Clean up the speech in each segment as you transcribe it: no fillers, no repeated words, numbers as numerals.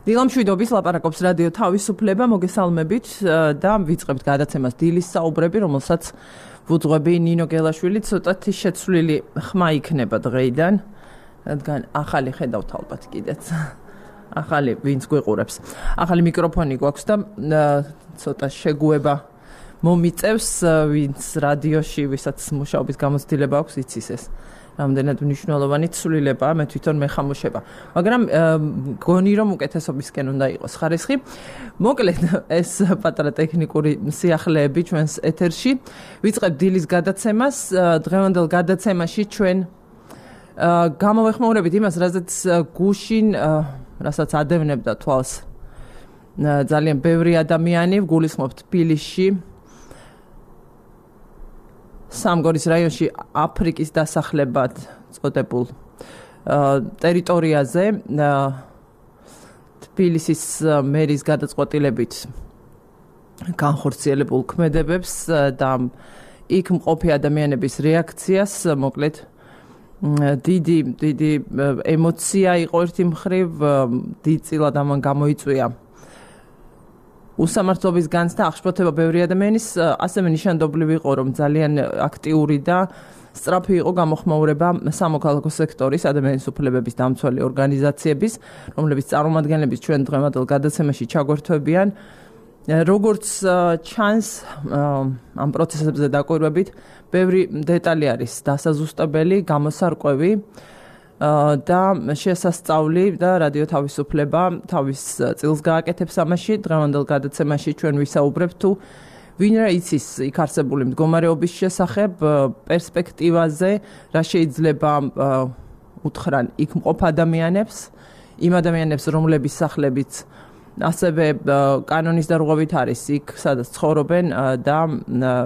დილამშვიდობის ლაპარაკობს რადიო თავისუფლება, მოგესალმებით და ვიწყებთ გადაცემას დილის საუბრები, რომელსაც ვუძღვები ნინო გელაშვილი, ცოტათი შეცვლილი ხმა იქნება დღეიდან, რადგან ახალი ხედავთ ალბათ კიდეც. ახალი ვინც გვიყურებს. ახალი მიკროფონი გვაქვს და ცოტა შეგუება მომიწევს, ვინც რადიოში, ვისაც მუშაობის გამოცდილება აქვს, იცის ეს. რამდენად მნიშვნელოვანი ცვლილებაა, მე თვითონ მეხამუშება. მაგრამ გონი რომ უკეთესობისკენ უნდა იყოს ხარისხი. მოკლედ ეს პატარა ტექნიკური სიახლეები ჩვენს ეთერში. ვიწყებთ დილის გადაცემას. დღევანდელ გადაცემაში ჩვენ გამოვეხმაურებით იმას, რასაც გუშინ, რასაც ადევნებდა თვალს ძალიან ბევრი ადამიანი, გულისხმობთ თბილისში. სამგორის რაიონში აფრიკის დასახლებად წოდებულ ტერიტორიაზე თბილისის მერის გადაწყვეტილებით განხორციელებულ ქმედებებს და იქ მყოფი ადამიანების რეაქციას, მოკლედ დიდი ემოცია იყო ერთი მხრივ, დიდწილად ამან გამოიწვია უსამართლობის განცდა, აღშფოთება ბევრი ადამიანის, ასევე ნიშანდობლივ იყო, რომ ძალიან აქტიური და სწრაფი იყო გამოხმაურება სამოქალაქო სექტორის ადამიანის უფლებების დამცველი ორგანიზაციების, რომლებიც წარმომადგენლების ჩვენ დღევანდელ გადაცემაში ჩაგვერთვებიან. როგორც ჩანს, ამ პროცესებზე დაკვირვებით, ბევრი დეტალი არის დასაზუსტებელი, გამოსარკვევი და შესასწავლი და რადიო თავისუფლება თავის წილს გააკეთებს ამაში. დღევანდელ გადაცემაში ჩვენ ვისაუბრებთ თუ ვინ რა იცის იქ არსებული მდგომარეობის შესახებ, პერსპექტივაზე, რა შეიძლება უთხრან იქ მყოფ ადამიანებს, იმ ადამიანებს, რომლების სახლებიც ასევე კანონის დარღვევით არის იქ, სადაც ცხოვრობენ და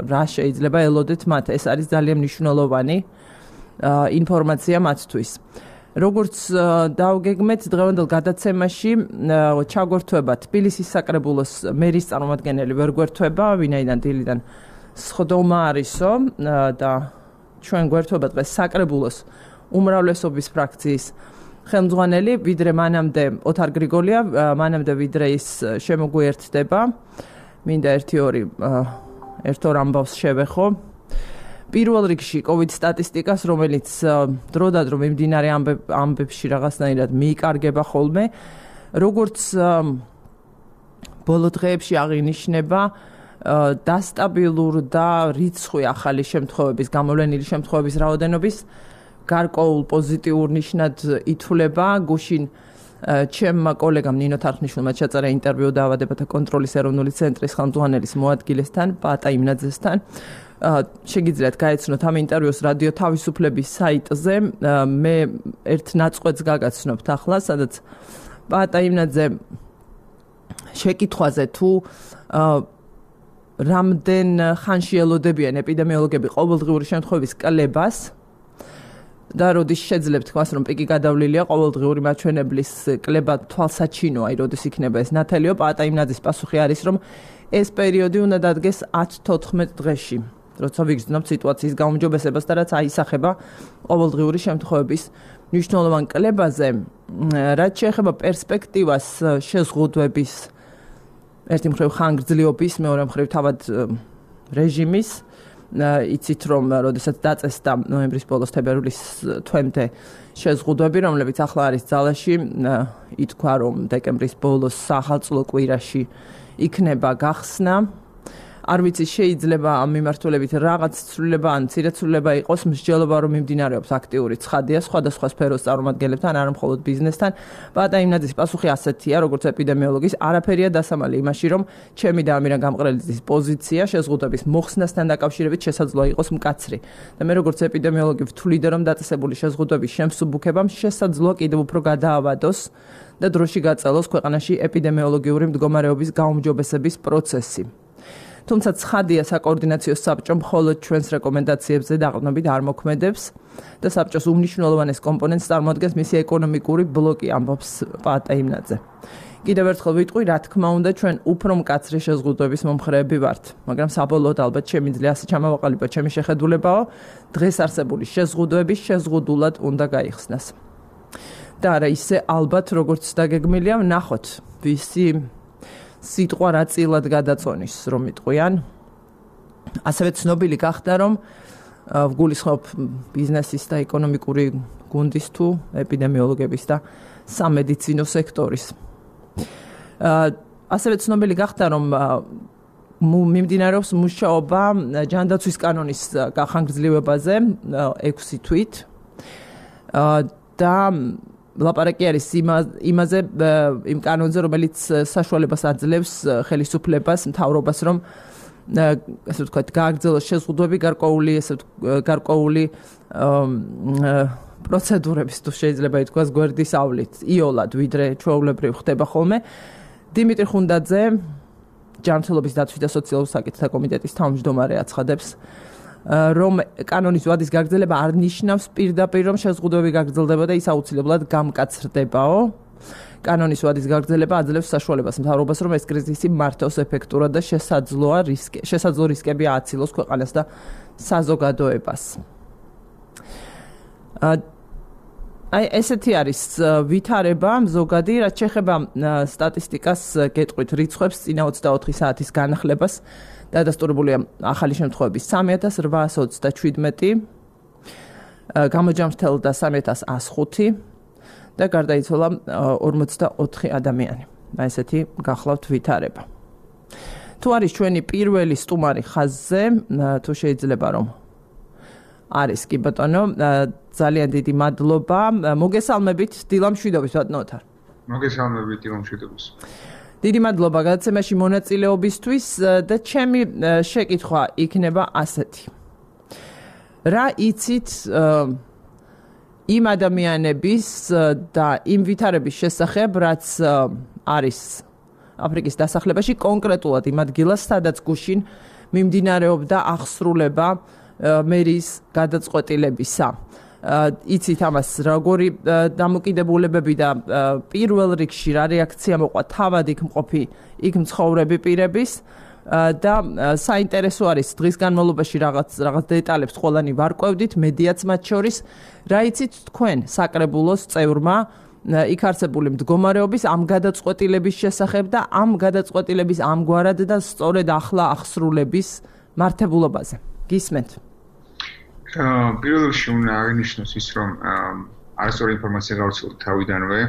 რა შეიძლება ელოდეთ მათ. ეს არის ძალიან მნიშვნელოვანი ინფორმაცია მათთვის. როგორც დავგეგმეთ დღევანდელ გადაცემაში ჩაგვერთვება თბილისის საკრებულოს მერის წარმომადგენელი ვერ გვერთვება, ვინაიდან დილიდან სხდომა არისო და ჩვენ გვერთვება დღეს საკრებულოს უმრავლესობის ფრაქციის ხელმძღვანელი, ვიდრე მანამდე ოთარ გრიგოლია, მანამდე ვიდრე ის შემოგვიერთდება. მინდა ერთ-ორ ამბავს შევეხო. პირველ რიგში COVID სტატისტიკას, რომელიც დროდადრო მიმდინარე ამბებში რაღაცნაირად მიიკარგება ხოლმე, როგორც ბოლო დღეებში აღინიშნება, დასტაბილურდა რიცხვი ახალი შემთხვევების, გამოვლენილი შემთხვევების რაოდენობის გარკვეულ პოზიტიურ ნიშნად ითვლება. გუშინ ჩემმა კოლეგამ ნინო თარხნიშვილმა ჩაწერა ინტერვიუ დაავადებათა კონტროლის ეროვნული ცენტრის ხელმძღვანელის მოადგილესთან, პატა იმნაძესთან. შეგიძლიათ გაეცნოთ ამ ინტერვიუს რადიო თავისუფლების საიტზე. მე ერთ ნაწყვეტს გაგაცნობთ ახლა, სადაც პატა იმნაძე შეკითხვაზე თუ რამდენ ხანში ელოდებიან ეპიდემიოლოგები ყოველდღიური შემთხვევების კლებას და როდის შეძლებთ თქვას, რომ პიკი გადავლილია ყოველდღიური მაჩვენებლის კლება თვალსაჩინოა, როდის იქნება ეს ნათელიო, პატა იმნაძის პასუხი არის, რომ ეს პერიოდი უნდა დადგეს 10-14 დღეში, როცა ვიგრძნობთ სიტუაციის გაუმჯობესებას და რაც აისახება ყოველდღიური შემთხვევების მნიშვნელოვან კლებაზე. რაც შეეხება პერსპექტივას შეზღუდვების, ერთი მხრივ ხანგრძლივობის, მეორე მხრივ თავად რეჟიმის, იცით რომ როდესაც დაწესდა ნოემბრის ბოლოს თებერვლის თვემდე შეზღუდვები, რომლებიც ახლა არის ძალაში, ითქვა რომ დეკემბრის ბოლოს საახალწლო კვირაში იქნება გახსნა. არ ვიცი, შეიძლება ამ მიმართულებით რაღაც ცვლილება ან მცირე ცვლილება იყოს, მსჯელობა რომ მიმდინარეობს აქტიური ცხადია სხვადასხვა სფეროს წარმომადგენლებთან, არა მხოლოდ ბიზნესთან. პატა იმნაძის პასუხი ასეთია, როგორც ეპიდემიოლოგის, არაფერია დასამალი იმაში, რომ ჩემი და ამირან გამყრელიძის პოზიცია შეზღუდვების მოხსნასთან დაკავშირებით შესაძლოა იყოს მკაცრი. და მე როგორც ეპიდემიოლოგი ვთვლიდე, რომ დაწესებული შეზღუდვების შემსუბუქებამ შესაძლოა კიდევ უფრო გადაავადოს და დროში გაწელოს ქვეყანაში ეპიდემიოლოგიური მდგომარეობის გაუმჯობესების პროცესი. თუმცა ცხადია, საკოორდინაციო საბჭო მხოლოდ ჩვენს რეკომენდაციებზე დაყრდნობით არ მოქმედებს და საბჭოს უმნიშვნელოვანეს კომპონენტს წარმოადგენს მისი ეკონომიკური ბლოკი, ამბობს პატა იმნაძე. კიდევ ერთხელ ვიტყვი, რა თქმა უნდა, ჩვენ უფრო მკაცრი შეზღუდვების მომხრეები ვართ, მაგრამ საბოლოოდ ალბათ შემიძლია ასე ჩამოვაყალიბოთ ჩემი შეხედულებაო, დღეს არსებული შეზღუდვები შეზღუდულად უნდა გაიხსნას. და არა ისე ალბათ როგორც დაგეგმილია, ნახოთ ვისი სიტყვა რა წილად გადაწონის რომ იტყვიან. ასევე ცნობილი გახდა რომ ვგულისხმობ ბიზნესის და ეკონომიკური გუნდის თუ ეპიდემიოლოგების და სამედიცინო სექტორის. ასევე ცნობილი გახდა რომ მიმდინარეობს მუშაობა ჯანდაცვის კანონის გახანგრძლივებაზე 6 თვით და ლაპარაკი არის იმაზე იმ კანონზე რომელიც საშუალებას აძლევს ხელისუფლებას მთავრობას რომ ასე ვთქვათ გააგრძელოს შეზღუდვები გარკვეული პროცედურების თუ შეიძლება ითქვას გვერდის ავლით იოლად ვიდრე ჩვეულებრივ ხდება ხოლმე. დიმიტრი ხუნდაძე ჯანმრთელობის დაცვის და სოციალურ საკითხთა კომიტეტის თავმჯდომარე აცხადებს რომ კანონის ვადის გაგრძელება არ ნიშნავს პირდაპირ რომ შეზღუდვები გაგრძელდება და ის აუცილებლად გამკაცრდებაო. კანონის ვადის გაგრძელება აძლევს საშუალებას მთავრობას რომ ეს კრიზისი მართოს ეფექტურად და შესაძლო რისკები ააცილოს ქვეყანას და საზოგადოებას. აი ესეთი არის ვითარება ზოგადი, რაც შეეხება სტატისტიკას გეტყვით რიცხვებს წინა 24 საათის განახლებას დადასტურებულია ახალი შემთხვევების 3827, გამოჯამრთელდა 3105 და გარდაიცვალა 44 ადამიანი. ესეთი გახლავთ ვითარება. თუ არის ჩვენი პირველი სტუმარი ხაზზე, თუ შეიძლება რომ არის კი ბატონო, ძალიან დიდი მადლობა. მოგესალმებით დილამშვიდობის ბატონო ოთარ. მოგესალმებით დილამშვიდობის. დიდი მადლობა გადაცემაში მონაწილეობისთვის და ჩემი შეკითხვა იქნება ასეთი. რა იცით იმ ადამიანების და იმ ვითარების შესახებ, რაც არის აფრიკის დასახლებაში, კონკრეტულად იმ ადგილას, სადაც გუშინ მიმდინარეობდა აღსრულება მერის გადაწყვეტილებისა. იცით ამას როგორი დამოკიდებულებები და პირველ რიგში რა რეაქცია მოყვა თავად იქ მყოფი იქ მცხოვრები პირების და საინტერესო არის დღის განმავლობაში რაღაც დეტალებს ყველანი ვარკვევდით მედიაც მათ შორის რა იცით თქვენ საკრებულოს წევრმა იქ არსებული მდგომარეობის ამ გადაწყვეტილების შესახებ და ამ გადაწყვეტილების ამგვარად და სწორედ ახლა აღსრულების მართებულობაზე გისმენთ პირველ რიგში უნდა აღინიშნოს ის რომ არასწორი ინფორმაცია გავრცელდა თავიდანვე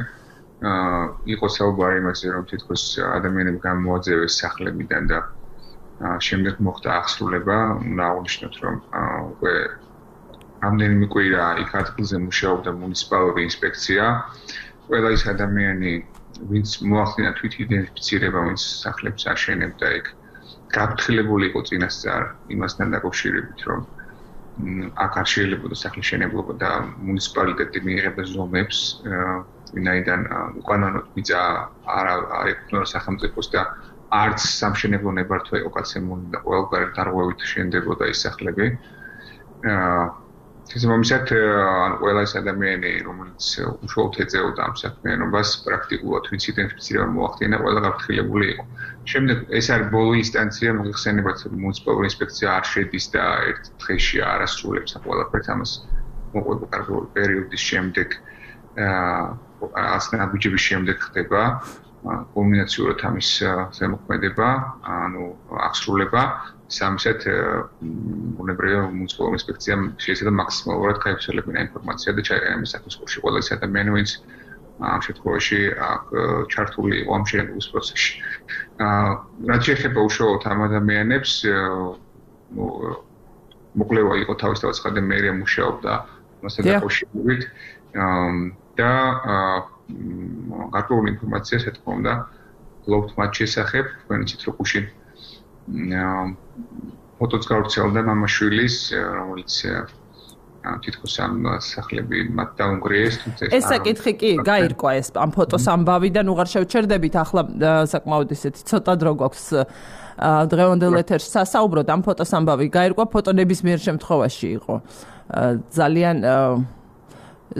იყო საუბარი იმაზე რომ თითქოს ადამიანები გამოაძევეს სახლებიდან და შემდეგ მოხდა აღსრულება უნდა აღნიშნოთ რომ უკვე რამდენიმე კვირა იქ ადგილზე მუშაობდა მუნიციპალური ინსპექცია ყველა ის ადამიანი ვინც მოახდინა თვითიდენტიფიცირება ვინც სახლებს აშენებდა იქ გაფრთხილებული იყო წინასწარ იმასთან დაკავშირებით რომ აქ არ შეიძლება სახლის შენებლობა და მუნიციპალიტეტი მიიღებდა ზომებს ვინაიდან უკანონოდ მიწა არ ეკუთვნება სახელმწიფოს და არც სამშენებლო ნებართვა იყო გაცემული და ყველგან დარღვევით შენდებოდა ის სახლები ეს მომისად ყველა ის ადამიანი რომელიც უშუალოდ ეწეოდა ამ საქმიანობას პრაქტიკულად ვინც იდენტიფიცირება მოახდინა ყველა გაფრთხილებული იყო შემდეგ ეს არის ბოლო ინსტანცია მოიხსენებათ მუნიციპალური ინსპექცია არ შედის და ერთ დღეში არ ასრულებს ყველაფერს ამას მოყვება კარგული პერიოდის შემდეგ ასნაბიჯების შემდეგ ხდება კულმინაციურად ამის ზემოქმედება ანუ აღსრულება სამისად უნებრივია მუნიციპალური ინსპექცია შეიძლება მაქსიმალურად გაიფსოლებინა ინფორმაცია და ჩაეყენა საკუთრებაში ყველა ის ადამიანი ვინც ამ შემთხვევაში ჩართული იყო ამ შენების პროცესში. რაც შეეხება უშუალოდ ამ ადამიანებს მოკვლევა იყო თავისთავად ხადე მერია მუშაობდა მასთან დაკავშირებით და გარკვეული ინფორმაცია თქო უნდა გლობთ მათ შესახებ თქვენ იცით რომ გუშინ ფოტოც გავრცელდა მამაშვილის რომელიც თითქოს ამ სახლები მათ დაუნგრიეს ეს საკითხი კი გაირკვა ეს ამ ფოტოს ამბავიდან უღარ შევჩერდებით ახლა საკმაოდ ისეთი ცოტა დრო გვაქვს დღევანდელ ეთერში სასაუბროდ ამ ფოტოს ამბავი გაირკვა ფოტო ნებისმიერ შემთხვევაში იყო ძალიან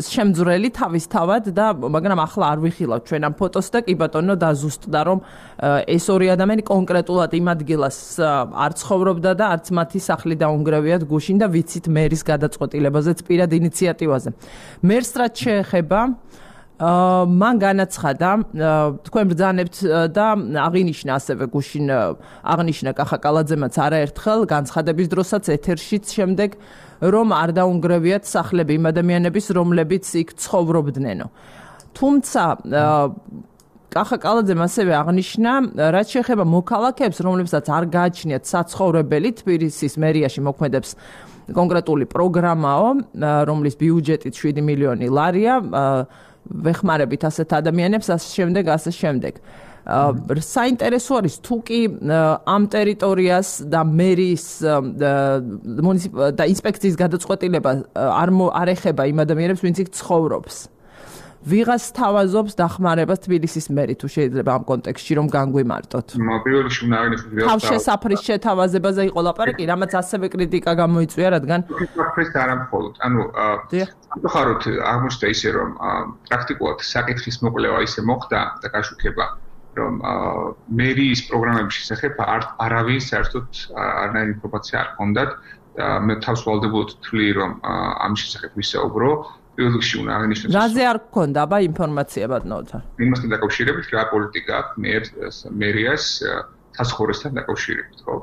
შემძვრელი თავისთავად და მაგრამ ახლა არ ვიხილავთ ჩვენ ამ ფოტოს და კი ბატონო დაზუსტდა რომ ეს ორი ადამიანი კონკრეტულად იმ ადგილას არ ცხოვრობდა და არც მათი სახლი დაუნგრევიათ გუშინ და ვიცით მერის გადაწყვეტილებაზეც პირად ინიციატივაზე. მერს რაც შეეხება მან განაცხადა თქვენ ბრძანებთ და აღინიშნა ასევე გუშინ აღნიშნა კახა კალაძემაც არაერთხელ განცხადების დროსაც ეთერშიც შემდეგ რომ არ დაუნგრევიათ სახლები იმ ადამიანების რომლებიც იქ ცხოვრობდნენო. თუმცა კახა კალაძემ ასევე აღნიშნა რაც შეეხება მოქალაქეებს რომლებსაც არ გააჩნიათ საცხოვრებელი თბილისის მერიაში მოქმედებს კონკრეტული პროგრამაო რომლის ბიუჯეტით 7 მილიონი ლარია ვეხმარებით ასეთ ადამიანებს ასე შემდეგ. საინტერესო არის თუ კი ამ ტერიტორიას და მერის და ინსპექციის გადაწყვეტილება არ ეხება იმ ადამიანებს ვინც იქ ცხოვრობს. ვიღას თავაზობს დახმარებას თბილისის მერი თუ შეიძლება ამ კონტექსტში რომ განგვიმარტოთ. პირველ რიგში უნდა აღინიშნოს თავშესაფრის შეთავაზებაზე იყო ლაპარაკი, რამაც ასევე კრიტიკა გამოიწვია, რადგან ეს არა მხოლოდ. ამხაროთ აღმოჩნდა ისე რომ პრაქტიკულად საკითხის მოკვლევა ისე მოხდა და გაშუქება რომ მერიის პროგრამების შესახებ არავინ საერთოდ არანაირი ინფორმაცია არ ჰქონდათ და მე თავს ვალდებოდ ვთვლი რომ ამ შესახებ ვისაუბრო. პირველ რიგში უნდა აღინიშნოს რაზე არ გქონდა აბა ინფორმაცია ბატონოთან? იმასთან დაკავშირებით რა პოლიტიკა აქვს მერიას საცხოვრებასთან დაკავშირებით, ხო?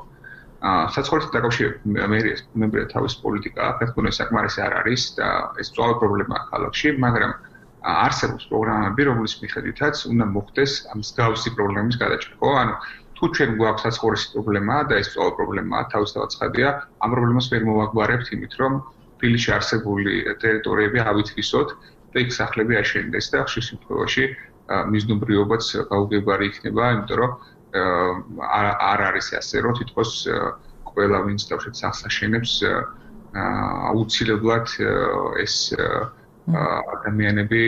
საცხოვრებასთან დაკავშირებით მერიას მემბრე თავის პოლიტიკა აქვს, საკმარისი არ არის და ეს ძველი პრობლემაა ქალაქში, მაგრამ არსებობს პროგრამები, რომლის მიხედვითაც უნდა მოხდეს ამ მსგავსი პრობლემის გადაჭრა, ხო? ანუ თუ ჩვენ გვაქვს საცხოვრების პრობლემა და ეს ძველი პრობლემაა, თავისთავად ცხადია, ამ პრობლემას ვერ მოვაგვარებთ იმით, რომ თბილისში არსებული ტერიტორიები ავითვისოთ და იქ სახლები აშენდეს და ხშირ შემთხვევაში მიზნობრიობაც გაუგებარი იქნება, იმიტომ რომ არ არის ასე, რომ თითქოს ყველა ვინც დავშეთ სახლს აშენებს აუცილებლად ეს ადამიანები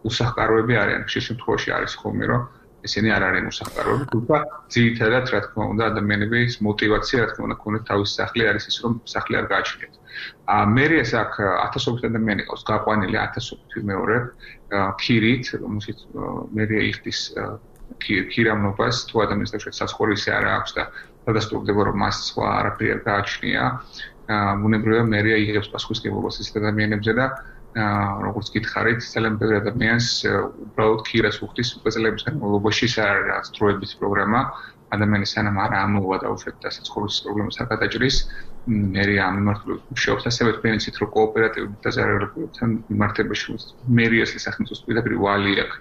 უსახკაროები არიან. ხშირ შემთხვევაში არის ხოლმე, რომ ესენი არ არიან უსახკაროები, თუმცა ძირითადად რა თქმა უნდა ადამიანების мотиваცია რა თქმა უნდა ქონდეს თავის სახლი არის ის რომ სახლი არ გააჩნიათ. მერიას აქ ათასობით ადამიანი ყავს გაყვანილი 1000 მეორე ქირით, რომელშიც მერია იხდის ქირამნობას თუ ადამიანს თავშეთ საცხოვრისი არ აქვს და დადასტურდება რომ მას სხვა არაფერი არ გააჩნია. ბუნებრივია მერია იღებს პასუხისმგებლობას ეს ადამიანებზე და როგორც გითხარით, ძალიან ბევრი ადამიანს უბრალოდ ქირას უხდის უკვე წლების განმავლობაში ეს არ არის დროებით პროგრამა. ადამიანი სანამ არ ამოვა და უშუალოდ საცხოვრების პრობლემას არ გადაჭრის, მერია ამ მიმართულებით მუშაობს, ასევე თქვენ იცით, რომ კოოპერატივები და ზარალობებთან მიმართებაში მერიას სახელმწიფოს პირდაპირ ვალი აქვს.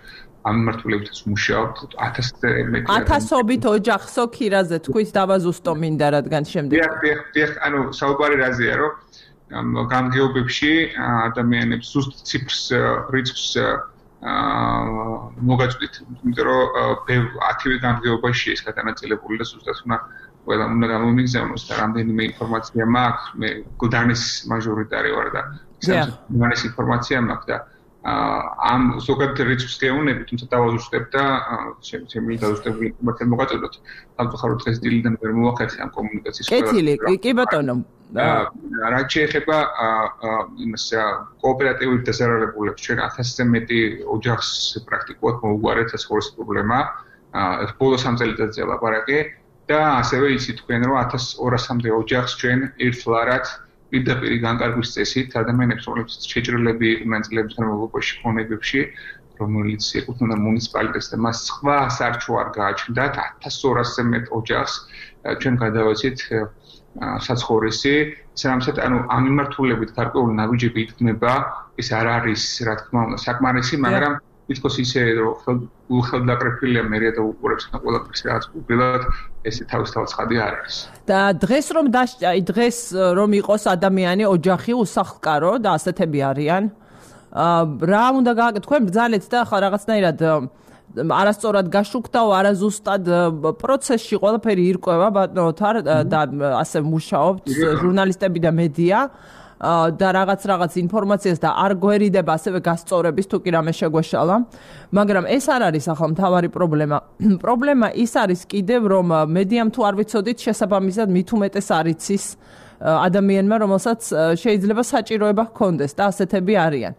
ამ მიმართულებითაც მუშაობთ 1000-ზე მეტი. 1000-ობით ოჯახსო ქირაზე თქვით დავაზუსტო მინდა, რადგან შემდეგ. დიახ, ანუ საუბარი რაზეა, რომ გამგეობებში ადამიანებს ზუსტ ციფრს რიცხვს მოგაწვდით, იმიტომ რომ 10-ვე გამგეობაში ეს გადანაწილებული და ზუსტად უნდა გამომიგზავნოს და რამდენიმე ინფორმაცია მაქვს, მე გლდანის მაჟორიტარი ვარ და გლდანის ინფორმაცია მაქვს და ამ ზოგადად რიცხვს გეუნები, თუმცა დავაზუსტებ და შემიძლია დავაზუსტებული ინფორმაცია მოგაწოდოთ. სამწუხაროდ დღეს დილიდან ვერ მოვახერხე ამ კომუნიკაციის კეთილი, კი ბატონო. რაც შეეხება იმას კოოპერატივით დასარალებულებს ჩვენ 1000-ზე მეტი ოჯახს პრაქტიკულად მოუგვარეთ საცხოვრების პრობლემა. ბოლო 3 წელიწადზე ლაპარაკი და ასევე იცით თქვენ რომ 1200-მდე ოჯახს ჩვენ ერთლარად პირდაპირ განკარგვის წესით ადამიანებს რომლებიც შეჭრილები იყვნენ წლების განმავლობაში ფონებებში, რომელიც ეკუთვნოდა მუნიციპალიტეტს და მას სხვა სარჩო არ გააჩნდათ 1200-ზე მეტ ოჯახს ჩვენ გადავაცით საცხოვრისი, სანამ ანუ ამ მიმართულებით გარკვეული ნაბიჯები იქმნება, ეს არ არის რა თქმა უნდა საკმარისი, მაგრამ თითქოს ისე რომ უხელდაკრეფილია მერია და უყურებს ყველაფერს რაც უბრალოდ ესე თავისთავად ცხადი არ არის. და დღეს რომ იყოს ადამიანი ოჯახი უსახლკარო და ასეთები არიან, რა უნდა გააკეთო? თქვენ ბრძანეთ და ხა რაღაცნაირად არასწორად გაშუქდაო, არაზუსტად პროცესში ყველაფერი ირკვევა ბატონოთარ და ასე მუშაობთ ჟურნალისტები და მედია და რაღაც ინფორმაციას და არ გვერიდება ასევე გასწორების თუ კი რამე შეგვეშალა, მაგრამ ეს არ არის ახლა მთავარი პრობლემა. პრობლემა ის არის კიდევ რომ მედიამ თუ არ ვიცოდით შესაბამისად მით უმეტეს არ იცის ადამიანმა, რომელსაც შეიძლება საჭიროება ჰქონდეს და ასეთები არიან.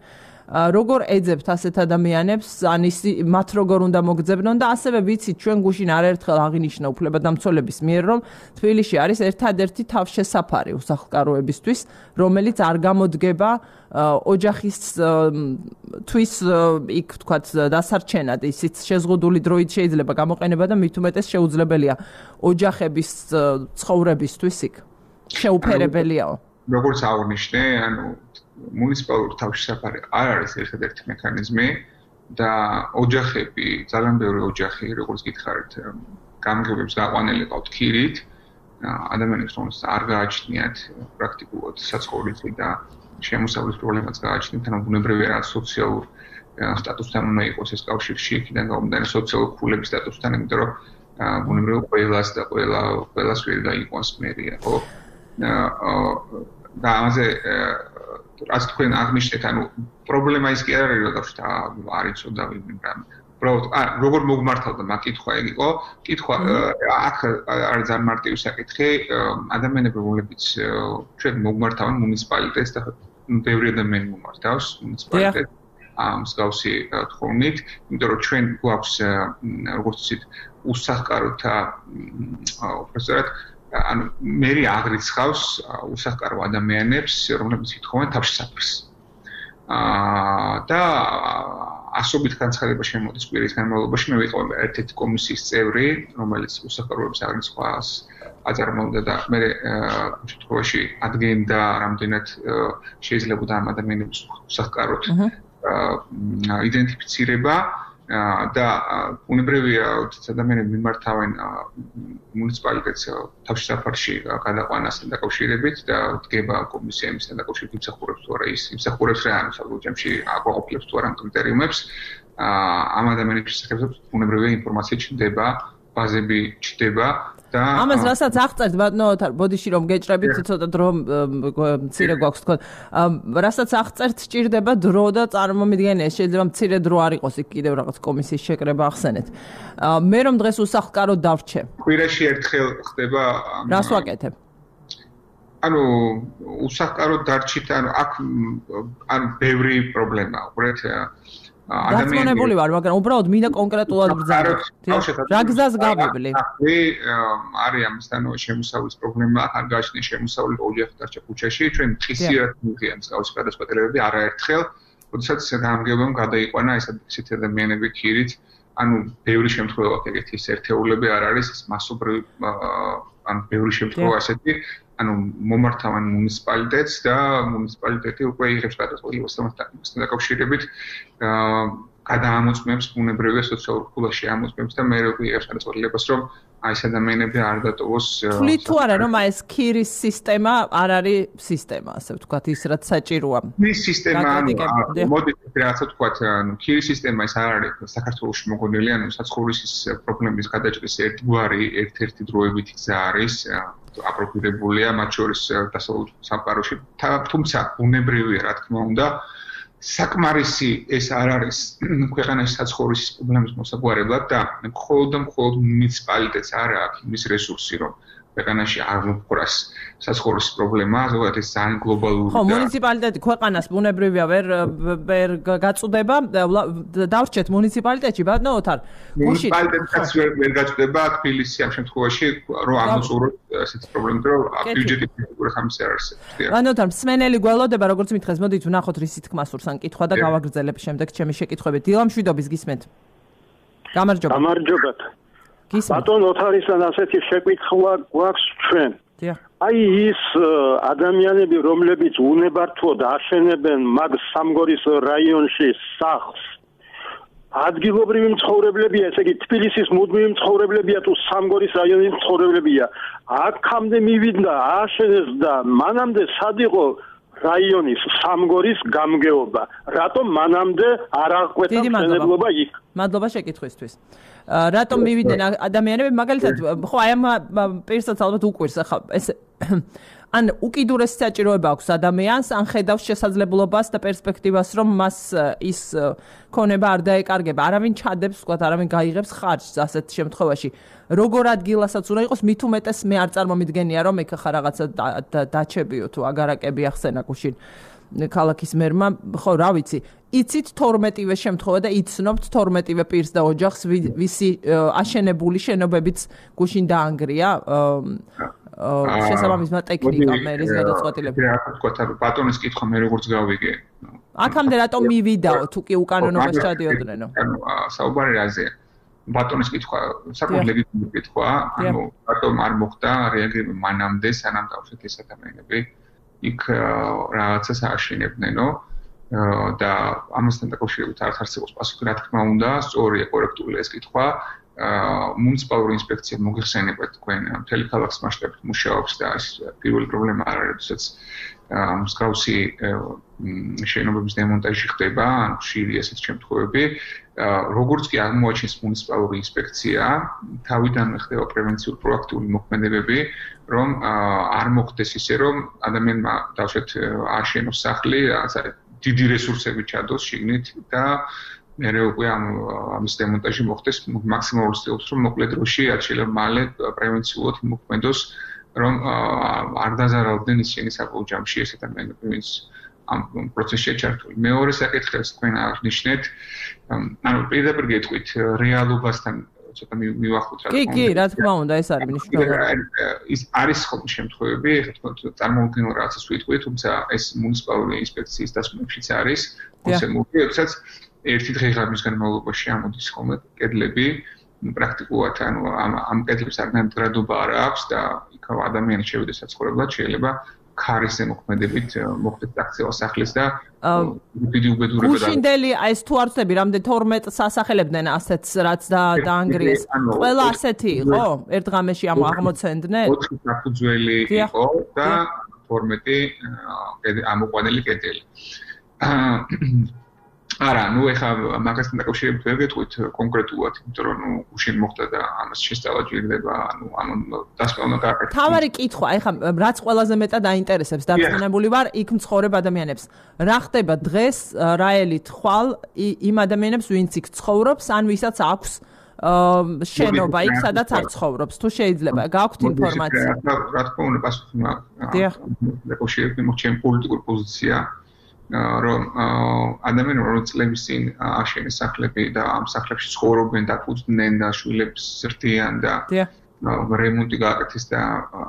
როგორ ეძებთ ასეთ ადამიანებს, ან მათ როგორ უნდა მოგძებნონ და ასევე ვიცით ჩვენ გუშინ არაერთხელ აღინიშნა უფლებადამცველების მიერ, რომ თბილისში არის ერთადერთი თავშესაფარი უსახლკაროებისთვის, რომელიც არ გამოდგება ოჯახისთვის იქ თქვათ დასარჩენად, ისიც შეზღუდული დროით შეიძლება გამოყენება და მით უმეტეს შეუძლებელია ოჯახების ცხოვრებისთვის იქ. შეუფერებელიაო. როგორც აღნიშნე, მუნიციპალური თავშესაფარი არ არის ერთადერთი მექანიზმი და ოჯახები, ძალიან ბევრი ოჯახი, როგორც გითხარით, გამგეობებს გაყვანილი ყავთ ქირით, ადამიანებს რომელსაც არ გააჩნიათ პრაქტიკულად საცხოვრისი და შემოსავლის პრობლემაც გააჩნიათ, ანუ ბუნებრივია რა სოციალურ სტატუსთან უნდა იყოს ეს კავშირში, იქიდან გამომდინარე სოციალური ქულების სტატუსთან, იმიტომ რომ ბუნებრივია ყველას და ყველას ვერ გაიყვანს მერია, ხო? და ამაზე რაც თქვენ აღნიშნეთ, ანუ პრობლემა ის კი არ არის, რომ არ იცოდა ვინმე რამ. უბრალოდ როგორ მოგმართავდა კითხვა ეგ იყო, კითხვა აქ არის ძალიან მარტივი საკითხი, ადამიანები რომლებიც ჩვენ მოგმართავენ მუნიციპალიტეტს და ბევრი ადამიანი მომართავს მუნიციპალიტეტს მსგავსი თხოვნით, იმიტომ რომ ჩვენ გვაქვს როგორც ვთქვით, უსახლკაროთა უბრალოდ ანუ მერი აღრიცხავს უსახლკარო ადამიანებს, რომლებიც ითხოვენ თავშესაფარს. და ასობით განცხადება შემოდის კვირის განმავლობაში, მე ვიყავ ერთ-ერთი კომისიის წევრი, რომელიც უსახლკაროების აღრიცხვას აწარმოებდა და მე შემთხვევაში ადგენდა რამდენად შეიძლება ამ ადამიანების უსახლკაროდ იდენტიფიცირება და უნებრივია ადამიანები მიმართავენ მუნიციპალიტეტს თავშესაფარში გადაყვანასთან დაკავშირებით და დგება კომისია იმისთან დაკავშირებით იმსახურებს თუ არა ის იმსახურებს რა ანუ საბჭოში აკვაყოფილებს თუ არა კრიტერიუმებს ამ ადამიანების შესახებ უნებრივია ინფორმაცია ჩნდება ბაზები ჩნდება და ამას რასაც აღწერთ ბატონო ბოდიში რომ გეჭრებით ცოტა დრო მცირე გვაქვს თქო რასაც აღწერთ სჭირდება დრო და წარმომიდგენია შეიძლება მცირე დრო არ იყოს იქ კიდევ რაღაც კომისიის შეკრება ახსენეთ მე რომ დღეს უსახლკარო დავრჩე კვირაში ერთხელ ხდება რას ვაკეთებ ანუ უსახლკარო დარჩით ანუ აქ ანუ ბევრი პრობლემაა უბრალოდ ადამიანები ვარ, მაგრამ უბრალოდ მინდა კონკრეტულად ბრძანოთ. რა გზას გავიბლი? არის ამისთან შემოსავლის პრობლემა, არ გააჩნია შემოსავლი ოჯახი დარჩა ქუჩაში, ჩვენ ხისიერად მივიღია მსგავსი გადაწყვეტილებები არაერთხელ, როდესაც გამგეობამ გადაიყვანა ესეთი ადამიანები ქირით, ანუ ბევრი შემთხვევა ეგეთი ერთეულები არ არის, მასობრივი ანუ ბევრი შემთხვევა ასეთი ანუ მომართავენ მუნიციპალიტეტს და მუნიციპალიტეტი უკვე იღებს გადაწყვეტილებას ამასთან დაკავშირებით გადაამოწმებს ბუნებრივია სოციალურ ქულაში ამოწმებს და მე უკვე იღებს გადაწყვეტილებას რომ აი ეს ადამიანები არ დატოვოს თვლით თუ არა რომ აი ეს ქირის სისტემა არ არის სისტემა ასე ვთქვათ ის რაც საჭიროა ქირის სისტემა მოდი რაღაცა ვთქვათ ანუ ქირის სისტემა ეს არ არის საქართველოში მოგონილი ანუ საცხოვრისის პრობლემის გადაჭრის ერთ-ერთი დროებითი გზა არის აპროფიტებულია მათ შორის დასავლურ სამყაროში თუმცა ბუნებრივია რა თქმა უნდა საკმარისი ეს არ არის ქვეყანაში საცხოვრისის პრობლემის მოსაგვარებლად და მხოლოდ მუნიციპალიტეტს არ აქვს იმის რესურსი რომ ქვეყანაში არ მოხდას საცხოვრისის პრობლემა ზოგადად ეს ძალიან გლობალური ხო მუნიციპალიტეტი ქვეყანას ბუნებრივია ვერ გაწუდება დავრჩეთ მუნიციპალიტეტში ბატონო ოთარ მუნიციპალიტეტიც ვერ გაწუდება თბილისი ამ შემთხვევაში რომ ამოწუროს ესეთი პრობლემა რომ ბიუჯეტი ფიგურა ხამის არ არსებობს ბატონო ოთარ მსმენელი გველოდება როგორც მითხეს მოდით ვნახოთ რისი თქმა სურს ან კითხვა და გავაგრძელებ შემდეგ ჩემი შეკითხვებით დილამშვიდობის გისმენთ გამარჯობათ ბატონ ოთარისთან ასეთი შეკითხვა გვაქვს ჩვენ. აი ის ადამიანები, რომლებიც უნებართვოდ აშენებენ მაგ სამგორის რაიონში სახლს, ადგილობრივი მცხოვრებლებია, ესე იგი თბილისის მუდმივი მცხოვრებლებია თუ სამგორის რაიონის მცხოვრებლებია. აქამდე მივიდა, აშენეს და მანამდე სად იყო რაიონის სამგორის გამგეობა. რატომ მანამდე არ აღკვეთა მშენებლობა იქ? მადლობა შეკითხვისთვის. რატომ მივიდნენ ადამიანები მაგალითად ხო აი ამ პირსაც ალბათ უკვირს ახლა ეს ან უკიდურეს საჭიროება აქვს ადამიანს ან ხედავს შესაძლებლობას და პერსპექტივას რომ მას ის ქონება არ დაეკარგება არავინ ჩადებს ვთქვათ არავინ გაიღებს ხარჯს ასეთ შემთხვევაში როგორ ადგილასაც უნდა იყოს მით უმეტეს მე არ წარმომიდგენია რომ ეხა რაღაცა დაჩებიო თუ აგარაკები ახსენა გუშინ ქალაქის მერმა, ხო, რა ვიცი, იცით 12-ვე შემთხვევა და იცნობთ 12-ვე პირს და ოჯახს, ვისი აშენებული შენობებიც გუშინ დაანგრია. შესაბამისმა ტექნიკა მერის გადაწყვეტილება. რა თქვა, ბატონის კითხვა მე როგორც გავიგე. აქამდე რატომ მივიდაო თუ კი უკანონობას ჩადიოდნენ? ანუ საუბარი რაზეა? ბატონის კითხვა საკუთარ ლეგიტიმური კითხვაა, ანუ რატომ არ მოხდა რეაგირება მანამდე, სანამ დავშეთ ეს ადამიანები იქ რაღაცას აშენებდნენო და ამასთან დაკავშირებით არ არსებობს პასუხი, რა თქმა უნდა, სწორია, კორექტულია ეს კითხვა. მუნიციპალური ინსპექცია მოგიხსენებათ თქვენ მთელი ქალაქის მასშტაბით მუშაობს და ეს პირველი პრობლემა არ არის, როდესაც მსგავსი შენობების დემონტაჟი ხდება, ან ხშირია ესეთი შემთხვევები. როგორც კი აღმოაჩენს მუნიციპალური ინსპექცია, თავიდანვე ხდება პრევენციული პროაქტიული მოქმედებები, რომ არ მოხდეს ისე, რომ ადამიანმა დავშეთ აშენოს სახლი, რაღაცა დიდი რესურსები ჩადოს შიგნით და მერე უკვე ამის დემონტაჟი მოხდეს მაქსიმალურ ცდილობს, რომ მოკლე დროში რაც შეიძლება მალე პრევენციულად მოქმედოს, რომ არ დაზარალდნენ ისინი საბოლოო ჯამში ეს ადამიანები, ვინც ამ პროცესში ჩართული. მეორე საკითხს თქვენ აღნიშნეთ, ანუ პირდაპირ გეტყვით რეალობასთან ცოტა მივახლოთ რა თქმა უნდა. კი, რა თქმა უნდა, ეს არის მნიშვნელოვანი. ის არის ხოლმე შემთხვევები, ეხლა თქვენ წარმოვიდგინოთ რაღაცას ვიტყვით, თუმცა ეს მუნიციპალური ინსპექციის დასკვნებშიც არის, კონსერნული, როდესაც ერთი დღე-ღამის განმავლობაში ამოდის ხოლმე კედლები, პრაქტიკულად ანუ ამ კედლებს არგანტირადობა არ აქვს და იქ ადამიანი შევიდეს საცხოვრებლად, შეიძლება ქარისზე მოქმედებით მოხდეს დაქცევა სახლის და დიდი უბედურება და გუშინდელი ეს თუ არ ვწდები, რამდენ 12 სასახელებდნენ ასეთს რაც დაანგრიეს. ყველა ასეთი იყო? ერთ ღამეში აღმოცენდნენ? 4 საფუძველი იყო და 12 ამოყვანილი კედელი. არა, ნუ ეხლა მაგასთან დაკავშირებით ვერ გეტყვით კონკრეტულად, იმიტომ რომ ნუ გუშინ მოხდა და ამას შესწავლა ჯერდება, ანუ დასკვნა გააკეთა. თავარი კითხვა, ეხლა რაც ყველაზე მეტად აინტერესებს, დარწმუნებული ვარ, იქ მცხოვრებ ადამიანებს. რა ხდება დღეს, რა ელით ხვალ იმ ადამიანებს, ვინც იქ ცხოვრობს, ან ვისაც აქვს შენობა იქ, სადაც არ ცხოვრობს, თუ შეიძლება, გაქვთ ინფორმაცია? რა თქმა უნდა, პასუხი მაქვს. დაკავშირებით ჩემ პოლიტიკურ პოზიცია რომ ადამიანები რომ წლების წინ აშენეს სახლები და ამ სახლებში ცხოვრობენ და ფუძნდნენ და შვილებს ზრდიან და რემონტი გააკეთეს და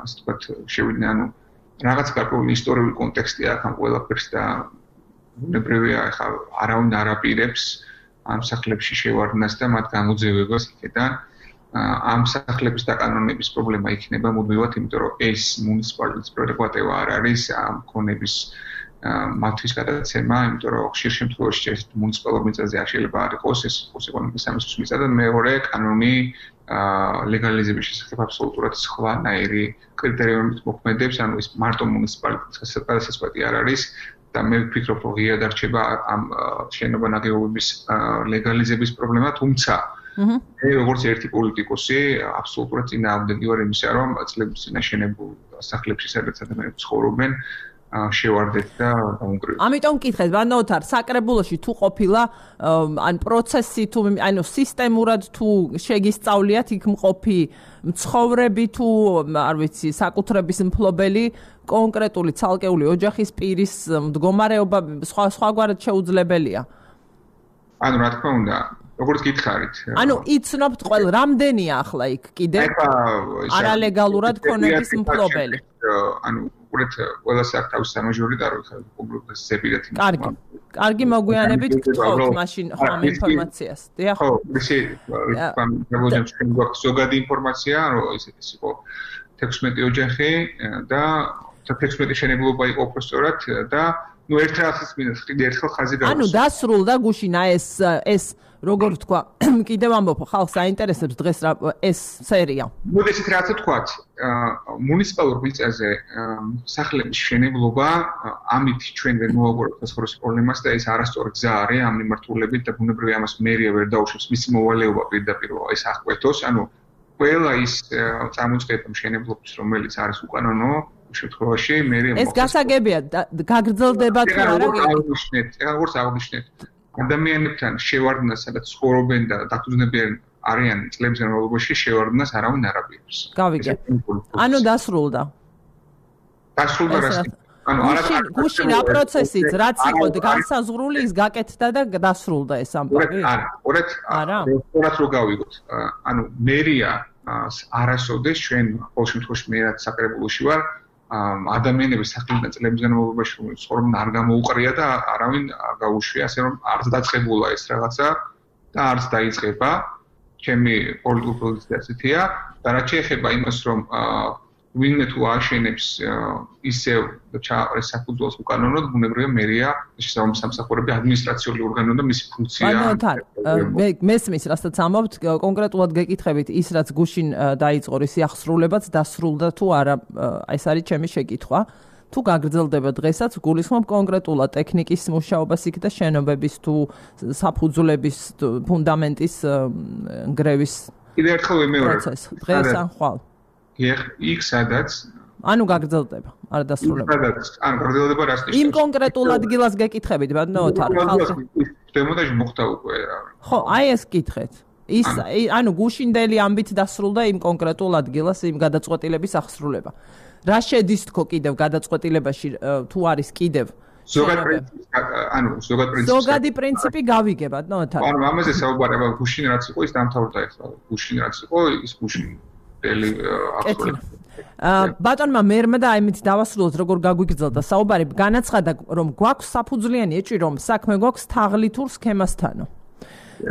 ასე ვთქვათ შევიდნენ, ანუ რაღაც გარკვეული ისტორიული კონტექსტი აქვს ამ ყველაფერს და უნებრივია ახლა არავინ არ აპირებს ამ სახლებში შევარდნას და მათ გამოძევებას იქიდან. ამ სახლების დაკანონების პრობლემა იქნება მუდმივად, იმიტომ რომ ეს მუნიციპალიტეტის პრეროგატივა არ არის ამ ქონების მათთვის გადაცემა, იმიტომ რომ ხშირ შემთხვევაში ეს მუნიციპალურ მიწაზე არ შეიძლება არ იყოს, ეს იყოს ეკონომიკის სამინისტროს მიწა და მეორე კანონი ლეგალიზების შესახებ აბსოლუტურად სხვანაირი კრიტერიუმით მოქმედებს, ანუ ეს მარტო მუნიციპალიტეტის გადასაწყვეტი არ არის და მე ვფიქრობ, რომ ღია დარჩება ამ შენობა ნაგებობების ლეგალიზების პრობლემა, თუმცა მე როგორც ერთი პოლიტიკოსი აბსოლუტურად წინააღმდეგი ვარ იმისა, რომ წლების წინ აშენებულ სახლებში სადაც ადამიანები ცხოვრობენ შევარდეთ და დაუნგრევთ. ამიტომ მკითხეთ, ბანოთარ, საკრებულოში თუ ყოფილა ან პროცესი თუ ანუ სისტემურად თუ შეგისწავლიათ იქ მყოფი მცხოვრები თუ არ ვიცი, საკუთრების მფლობელი კონკრეტული ცალკეული ოჯახის პირის მდგომარეობა სხვაგვარად შეუძლებელია. ანუ რა თქმა უნდა, როგორც გითხარით. ანუ იცნობთ ყველა რამდენია ახლა იქ კიდე არალეგალურად ქონების მფლობელი. ანუ უბრალოდ ყველა საკთავის სამაჟორი და რო პუბლიკას ზებირეთ იმ. კარგი მოგვიანებით გთხოვთ მაშინ ამ ინფორმაციას. დიახ. ხო, ისე გვაქვს ზოგადი ინფორმაცია, რომ ეს იყო 16 ოჯახი და 16 შენებლობა იყო უბრალოდ და ნუ ერთ რაღაცის მინდა ხიდი ერთხელ ხაზი გავუსვა. ანუ დასრულდა გუშინა ეს როგორ ვთქვა, კიდევ ამბობ, ხალხს აინტერესებს დღეს რა ეს სერია. მოდი ესეთ რაღაცა თქვათ, მუნიციპალურ მიწაზე სახლების შენებლობა, ამით ჩვენ ვერ მოვაგვარებთ საცხოვრებელ პრობლემას და ეს არასწორი გზა არის ამ მიმართულებით და ბუნებრივია ამას მერია ვერ დაუშვებს მისი მოვალეობა პირდაპირ ეს აღკვეთოს, ანუ ყველა ის წარმოწყვეტ მშენებლობის რომელიც არის უკანონო შემთხვევაში მერია ეს გასაგებია გაგრძელდება თუ არა აღნიშნეთ, როგორც აღნიშნეთ ადამიანებთან შევარდნას, სადაც ცხოვრობენ და დაფუძნებიან არიან წლების განმავლობაში შევარდნას არავინ არ აპირებს. გავიგე. ანუ დასრულდა. დასრულდა რა? გუშინ რა პროცესიც რაც იყო განსაზღვრული ის გაკეთდა და დასრულდა ეს ამბავი? არა, რო გავიგოთ. მერია არასოდეს ჩვენ ყოველ შემთხვევაში მე რაც საკრებულოში ვარ ადამიანების სახელიდან წლების განმავლობაში ცხოვრობენ არ გამოუყრია და არავინ არ გაუშვია, ასე რომ არც დაწყებულა ეს რაღაცა და არც დაიწყება. ჩემი პოლიტიკური პოზიცია ასეთია და რაც შეეხება იმას, რომ ვინმე თუ აშენებს ისევ ჩააყრეს საფუძველს უკანონოდ, ბუნებრივია მერია შესაბამის სამსახურები ადმინისტრაციული ორგანო და მისი ფუნქცია. მესმის, რასაც ამბობთ, კონკრეტულად გეკითხებით ის რაც გუშინ დაიწყო ისი აღსრულებაც დასრულდა თუ არა, ეს არის ჩემი შეკითხვა. თუ გაგრძელდება დღესაც, გულისხმობ კონკრეტულად ტექნიკის მუშაობას იქ და შენობების თუ საფუძვლების ფუნდამენტის ნგრევის კიდევ ერთხელ ვიმეორებ. დღეს ან ხვალ. იქ სადაც ანუ გაგრძელდება, არ დასრულება. გაგრძელდება რას ნიშნავს? იმ კონკრეტულ ადგილას გეკითხებით, ბატონო ოთარ, ხალხი. დემონტაჟი მოხდა უკვე. ხო, აი ეს კითხეთ. ის ანუ გუშინდელი ამბით დასრულდა იმ კონკრეტულ ადგილას იმ გადაწყვეტილების აღსრულება. რა შედის თქო კიდევ გადაწყვეტილებაში თუ არის კიდევ ზოგადი პრინციპი გავიგებათ ნოთარ. ანუ ამაზე საუბარება გუშინ რაც იყო ის დამთავრდა ახლა. გუშინ რაც იყო ის გუშინ ბატონმა მერმა და აიმით დავასრულოთ როგორ გაგვიგრძელდა საუბარი განაცხადა რომ გვაქვს საფუძვლიანი ეჭვი რომ საქმე გვაქვს თაღლითურ სქემასთანო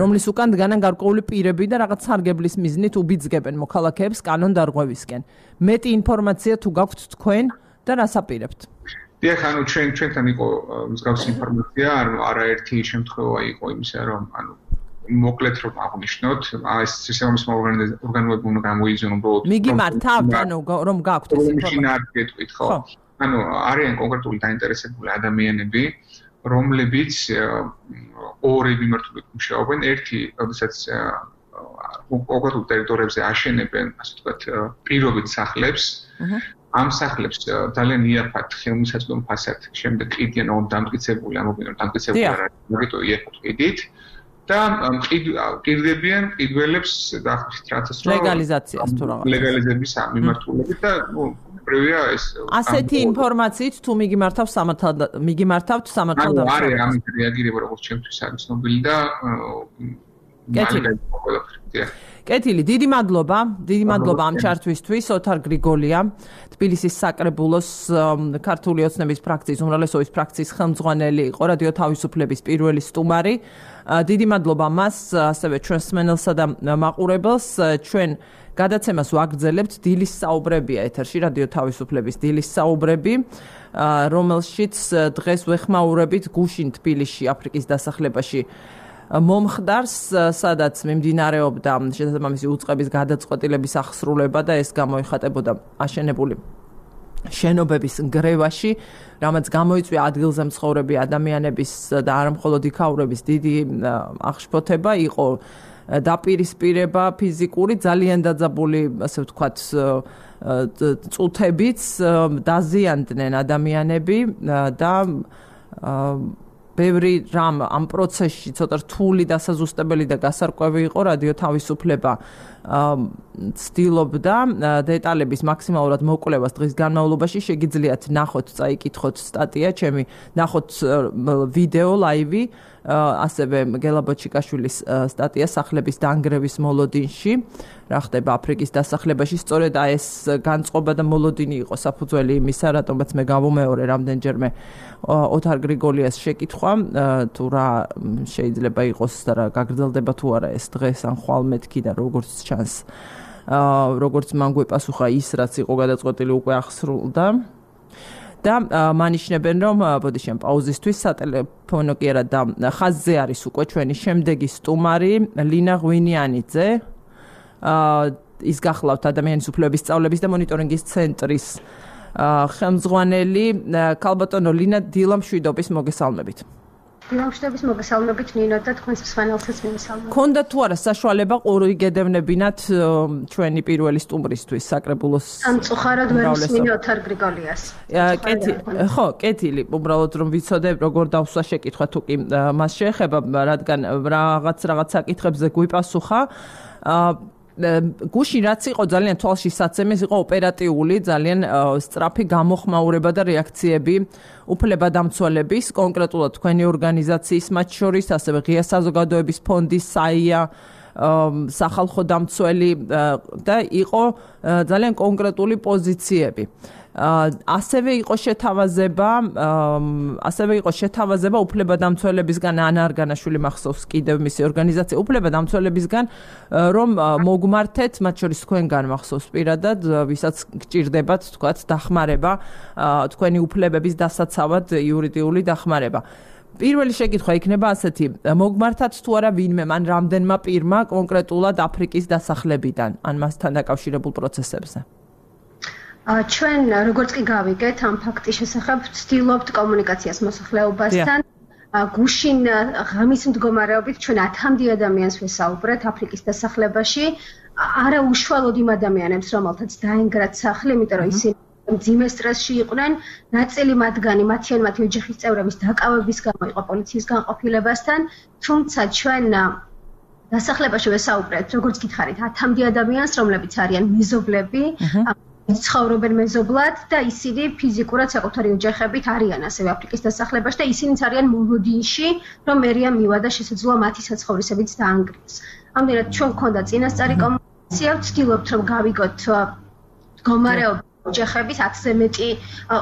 რომლის უკან დგანან გარკვეული პირები და რაღაც სარგებლის მიზნით უბიძგებენ მოქალაქეებს კანონდარღვევისკენ მეტი ინფორმაცია თუ გაქვთ თქვენ და რას აპირებთ დიახ ანუ ჩვენთან იყო მსგავსი ინფორმაცია არაერთი შემთხვევა იყო იმისა რომ ანუ მოკლედ რომ აღნიშნოთ ეს სისტემის ორგანოები უნდა გამოიძიონ უბრალოდ მიგიმართავთ ანუ რომ გაქვთ ეს ინფორმაცია ხო ანუ არიან კონკრეტული დაინტერესებული ადამიანები რომლებიც ორი მიმართულებით მუშაობენ ერთი როდესაც კონკრეტულ ტერიტორიებზე აშენებენ ასე ვთქვათ პირობით სახლებს ამ სახლებს ძალიან იაფად ხელმისაწვდომ ფასად შემდეგ ყიდიან რომ დამტკიცებული ამობინონ დამტკიცებული არა იმიტომ იაფად ყიდით და ყიდდებიან ყიდველებს და რასაც რომ ლეგალიზაციას თუ რაღაც ლეგალიზების მიმართულებით და ნუ პრევია ეს ასეთი ინფორმაციით თუ მიგიმართავთ სამართალდამცავ არის ამით რეაგირება როგორც ჩემთვის არის ცნობილი და კეთილი დიდი მადლობა ამ ჩართვისთვის ოთარ გრიგოლია თბილისის საკრებულოს ქართული ოცნების ფრაქციის უმრავლესობის ფრაქციის ხელმძღვანელი იყო რადიო თავისუფლების პირველი სტუმარი დიდი მადლობა მას ასევე ჩვენს მსმენელსა და მაყურებელს ჩვენ გადაცემას ვაგრძელებთ დილის საუბრებია ეთერში რადიო თავისუფლების დილის საუბრები რომელშიც დღეს ვეხმაურებით გუშინ თბილისში აფრიკის დასახლებაში მომხდარს სადაც მიმდინარეობდა შესაბამისი უწყების გადაწყვეტილების აღსრულება და ეს გამოიხატებოდა აშენებული შენობების ნგრევაში რამაც გამოიწვია ადგილზე მცხოვრები ადამიანების და არა მხოლოდ იქაურების დიდი აღშფოთება იყო დაპირისპირება ფიზიკური ძალიან დაძაბული ასე ვთქვათ წუთებიც დაზიანდნენ ადამიანები და ბევრი რამ ამ პროცესში ცოტა რთული დასაზუსტებელი და გასარკვევი იყო რადიო თავისუფლება ცდილობდა დეტალების მაქსიმალურად მოკვლევას დღის განმავლობაში შეგიძლიათ ნახოთ წაიკითხოთ სტატია ჩემი ნახოთ ვიდეო ლაივი ასევე გელა ბოჩიკაშვილის სტატია სახლების დანგრევის მოლოდინში რა ხდება აფრიკის დასახლებაში სწორედ ეს განწყობა და მოლოდინი იყო საფუძველი იმისა რატომაც მე გავუმეორე რამდენჯერმე ოთარ გრიგოლიას შეკითხვა თუ რა შეიძლება იყოს და რა გაგრძელდება თუ არა ეს დღეს ან ხვალ მეთქი და როგორც ჩანს როგორც მან გვეპასუხა ის რაც იყო გადაწყვეტილი უკვე აღსრულდა და მანიშნებენ რომ ბოდიშენ პაუზისთვის სატელეფონო კი არა და ხაზზე არის უკვე ჩვენი შემდეგი სტუმარი ლინა ღვინიანიძე ის გახლავთ ადამიანის უფლებების სწავლების და მონიტორინგის ცენტრის ხელმძღვანელი ქალბატონო ლინა დილამშვიდობის მოგესალმებით დილამშვიდობის მოგესალმებით ნინო და თქვენს მსმენელსაც მივესალმებით. ქონდა თუ არა საშუალება ყური გედევნებინათ ჩვენი პირველი სტუმრისთვის საკრებულოს სამწუხაროდ ვერ მსმინე ოთარ გრიგოლიას. ხო, კეთილი, უბრალოდ რომ ვიცოდე როგორ დავსვა შეკითხვა თუ კი მას შეეხება, რადგან რაღაც საკითხებზე გვიპასუხა გუშინ რაც იყო ძალიან თვალშისაცემი, იყო ოპერატიული, ძალიან სწრაფი გამოხმაურება და რეაქციები უფლებადამცველების, კონკრეტულად თქვენი ორგანიზაციის მათ შორის, ასევე ღია საზოგადოების ფონდის საია სახალხო დამცველი და იყო ძალიან კონკრეტული პოზიციები. ასევე იყო შეთავაზება უფლებადამცველებისგან ანა არგანაშვილი მახსოვს კიდევ მისი ორგანიზაცია უფლებადამცველებისგან რომ მოგმართეთ მათ შორის თქვენგან მახსოვს პირადად ვისაც გჭირდებათ თქვათ დახმარება თქვენი უფლებების დასაცავად იურიდიული დახმარება. პირველი შეკითხვა იქნება ასეთი, მოგმართათ თუ არა ვინმე მან რამდენმა პირმა კონკრეტულად აფრიკის დასახლებიდან ან მასთან დაკავშირებულ პროცესებზე? ჩვენ როგორც კი გავიგეთ ამ ფაქტის შესახებ ვცდილობთ კომუნიკაციას მოსახლეობასთან. გუშინ ღამის მდგომარეობით ჩვენ 10-მდე ადამიანს ვესაუბრეთ აფრიკის დასახლებაში, არა უშუალოდ იმ ადამიანებს, რომელთაც დაინგრათ სახლი, იმიტომ რომ ისინი მძიმე სტრესში იყვნენ, ნაწილი მათგანი მათი ოჯახის წევრების დაკავების გამო იყო პოლიციის განყოფილებასთან, თუმცა ჩვენ დასახლებაში ვესაუბრეთ, როგორც გითხარით, 10-მდე ადამიანს, რომლებიც არიან მეზობლები, ცხოვრობენ მეზობლად და ისინი ფიზიკურად საკუთარი ოჯახებით არიან ასევე აფრიკის დასახლებაში და ისინიც არიან მოლოდინში, რომ მერია მივადა შესაძლოა მათი საცხოვრისებიც დაანგრიეს. ამდენად ჩვენ გვქონდა წინასწარი კომუნიკაცია, ვცდილობთ რომ გავიგოთ მდგომარეობა ოჯახების 10-ზე მეტი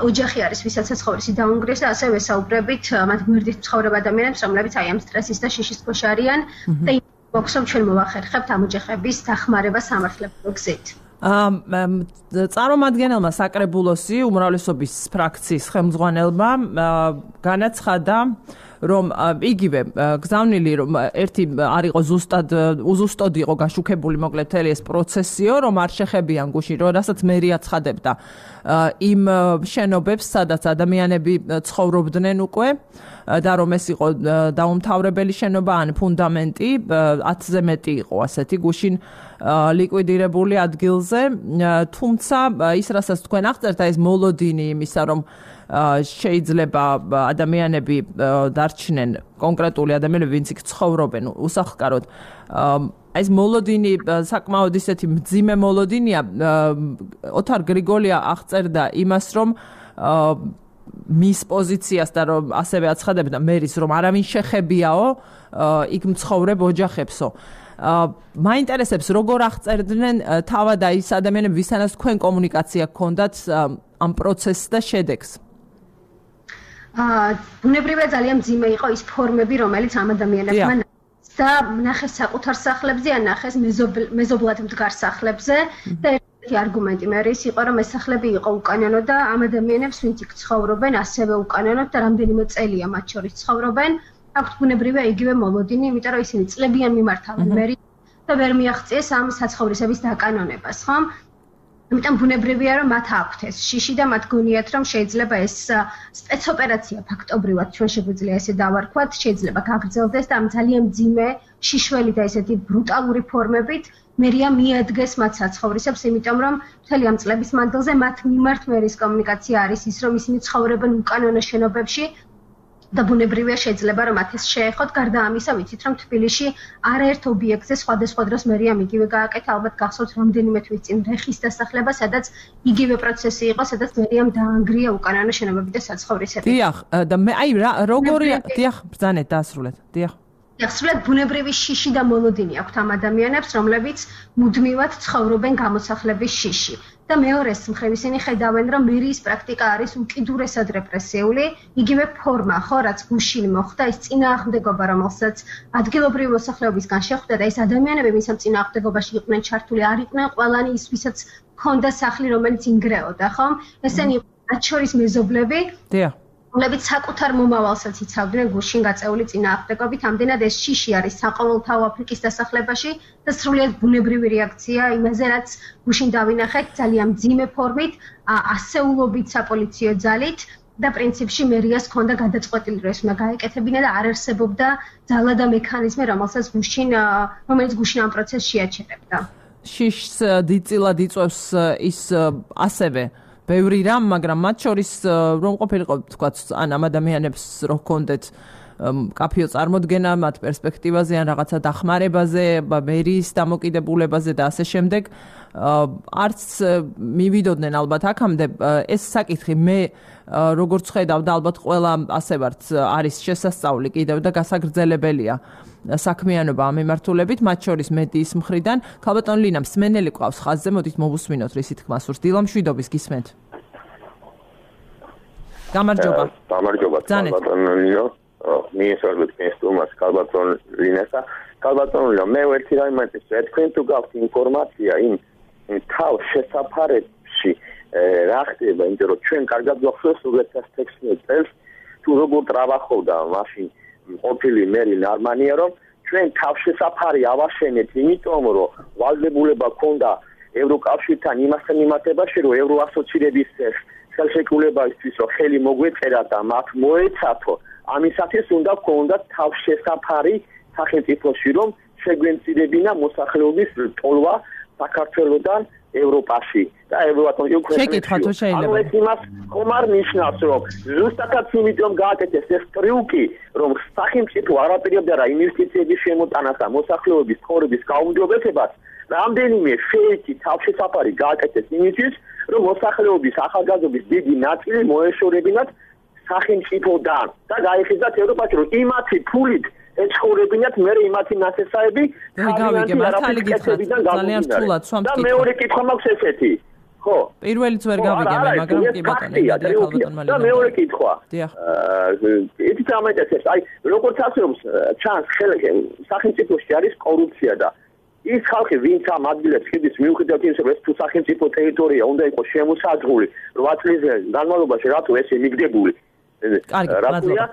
ოჯახი არის, ვისაც საცხოვრისი დაანგრიეს და ასევე ვესაუბრებით მათ გვერდით მცხოვრებ ადამიანებს, რომლებიც აი ამ სტრესის და შიშის ქვეშ არიან და მოგვსვამ ჩვენ მოვახერხებთ ამ ოჯახების დახმარება სამართლებრივ გზით. წარმომადგენელმა საკრებულოსი უმრავლესობის ფრაქციის ხელმძღვანელმა განაცხადა რომ იგივე გზავნილი რომ ერთი არ იყო უზუსტოდ იყო გაშუქებული მოკლედ მთელი ეს პროცესიო რომ არ შეხებიან გუშინ რომ რასაც მერია ცხადებდა იმ შენობებს სადაც ადამიანები ცხოვრობდნენ უკვე და რომ ეს იყო დაუმთავრებელი შენობა ან ფუნდამენტი 10-ზე მეტი იყო ასეთი გუშინ ლიკვიდირებული ადგილზე თუმცა ის რასაც თქვენ აღწერთ ეს მოლოდინი იმისა რომ შეიძლება ადამიანები დარჩნენ კონკრეტული ადამიანები ვინც იქ ცხოვრობენ უსახლკაროდ ეს მოლოდინი საკმაოდ ისეთი მძიმე მოლოდინია ოთარ გრიგოლია აღწერდა იმას რომ მის პოზიციას და რომ ასევე აცხადებდა მერის რომ არავინ შეხებიაო იქ მცხოვრებ ოჯახებსო მაინტერესებს როგორ აღწერდნენ თავად ის ადამიანები ვისთანაც თქვენ კომუნიკაცია გქონდათ ამ პროცესს და შედეგს ბუნებრივია ძალიან მძიმე იყო ის ფორმები რომელიც ამ ადამიანებმა და ნახეს საკუთარ სახლებზე ან ნახეს მეზობლად მდგარ სახლებზე და ერთი არგუმენტი მე ის იყო რომ ეს სახლები იყო უკანონო და ამ ადამიანებს ვინც იქ ცხოვრობენ ასევე უკანონოდ და რამდენიმე წელია მათ შორის ცხოვრობენ აქვთ ბუნებრივია იგივე მოლოდინი იმიტომ რომ ისინი წლებიან მიმართავენ მერი და ვერ მიაღწიეს ამ საცხოვრისების დაკანონებას ხო ამიტომ ბუნებრივია რომ მათ აქვთ ეს შიში და მათ გონიათ რომ შეიძლება ეს სპეცოპერაცია ფაქტობრივად ჩვენ შეგვიძლია ესე დავარქვათ შეიძლება გაგრძელდეს და ამ ძალიან მძიმე შიშველი და ესეთი ბრუტალური ფორმებით მერია მიადგეს მათ საცხოვრისებს იმიტომ რომ მთელი ამ წლების მანძილზე მათ მიმართ მერის კომუნიკაცია არის ის რომ ისინი ცხოვრობენ უკანონო შენობებში და ბუნებრივია შეიძლება რომ მათ ეს შეეხოთ გარდა ამისა ვიცით რომ თბილისში არაერთ ობიექტზე სხვადასხვა დროს მერიამ იგივე გააკეთა ალბათ გახსოვთ რამდენიმე თვის წინ რეხის დასახლება სადაც იგივე პროცესი იყო სადაც მერიამ დაანგრია უკანონო შენობები და საცხოვრისები დიახ და მე აი როგორი დიახ ბრძანეთ დაასრულეთ დიახ სრულად ბუნებრივი შიში და მოლოდინი აქვთ ამ ადამიანებს რომლებიც მუდმივად ცხოვრობენ გამოსახლების შიში და მეორეს მხრივ ისინი ხედავენ რომ მერის პრაქტიკა არის უკიდურესად რეპრესიული იგივე ფორმა ხო რაც გუშინ მოხდა ის წინააღმდეგობა რომელსაც ადგილობრივი მოსახლეობისგან შეხვდა და ეს ადამიანები ვინც ამ წინააღმდეგობაში იყვნენ ჩართული არ იყვნენ ყველანი ის ვისაც ჰქონდა სახლი რომელიც ინგრეოდა ხო ესენი მათ შორის მეზობლები დიახ რომლებიც საკუთარ მომავალსაც იცავდნენ გუშინ გაწეული წინააღმდეგობით, ამდენად ეს შიში არის საყოველთაო აფრიკის დასახლებაში და სრულიად ბუნებრივი რეაქცია იმაზე, რაც გუშინ დავინახეთ ძალიან მძიმე ფორმით, ასეულობით საპოლიციო ძალით და პრინციპში მერიას ჰქონდა გადაწყვეტილი რომ ეს უნდა გაეკეთებინა და არ არსებობდა ძალა და მექანიზმი, რომელიც გუშინ ამ პროცესს შეაჩერებდა. შიშს დიდწილად იწვევს ის ასევე ბევრი რამ, მაგრამ მათ შორის რომ ყოფილიყო თქვა ან ამ ადამიანებს რო ჰქონდეთ კაფეო წარმოდგენა მათ პერსპექტივაზე ან რაღაცა დახმარებაზე, მერის დამოკიდებულებაზე და ასე შემდეგ. არც მივიდოდნენ ალბათ აქამდე ეს საკითხი მე როგორც ხედავ და ალბათ ყველა ასე ვართ არის შესასწავლი კიდევ და გასაგრძელებელია საქმიანობა ამ მიმართულებით, მათ შორის მედიის მხრიდან. ქალბატონ ლინა მსმენელი ყავს ხაზზე, მოდით მოვუსმინოთ რისი თქმა სურს. დილა მშვიდობის გისმენთ. გამარჯობა. გამარჯობა ქალბატონ ლინა. მიესალმებით სტუმარს ქალბატონ ლინასა. ქალბატონ ლინა, მე ერთი რამე მეთქე, თქვენ თუ გაქვთ ინფორმაცია იმ თავს შესაფარებში რა ხდება, იმიტომ რომ ჩვენ კარგად გვახსოვს 2016 წელს თუ როგორ ტრავახობდა მაშინ ყოფილი მერი ნარმანია, რომ ჩვენ თავშესაფარი ავაშენეთ, იმიტომ რომ ვალდებულება ქონდა ევროკავშირთან იმასთან მიმართებაში, რომ ევროასოცირების ხელშეკრულებისთვის რომ ხელი მოგვეწერა და მათ მოეცათო, ამისათვის უნდა ქონდათ თავშესაფარი სახელმწიფოში, რომ შეგვენცირებინა მოსახლეობის ტოლვა საქართველოსთან ევროპაში და ევროატლანტიკურ ქვეყნებში. ანუ ეს იმას ხომ არ ნიშნავს, რომ ზუსტადაც იმიტომ გააკეთეს ეს ტრიუკი, რომ სახელმწიფო არაპირებდა რა ინვესტიციების შემოტანას და მოსახლეობის ცხოვრების გაუმჯობესებას, რამდენიმე ფეიქი თავშესაფარი გააკეთეს იმისთვის, რომ მოსახლეობის ახალგაზრდობის დიდი ნაწილი მოეშორებინათ სახელმწიფოდან და გაიხიზათ ევროპაში, რომ იმათი ფულით ეცხოვრებინათ მე იმათი ნაცესაები ძალიან რთულად სვამთ და მეორე კითხვა მაქვს ესეთი ხო პირველიც ვერ გავიგებე მაგრამ კი ბატონო და მეორე კითხვა ეთი დამეტეს აი როგორც ასეობს ჩანს სახელმწიფოში არის კორუფცია და ის ხალხი ვინც ამ ადგილებს ხდის მიუხედავად იმისა რომ ეს თუ სახელმწიფო ტერიტორია უნდა იყოს შემოსაზღვრული 8 წლის განმავლობაში რატო ესე მიგდებული რატოა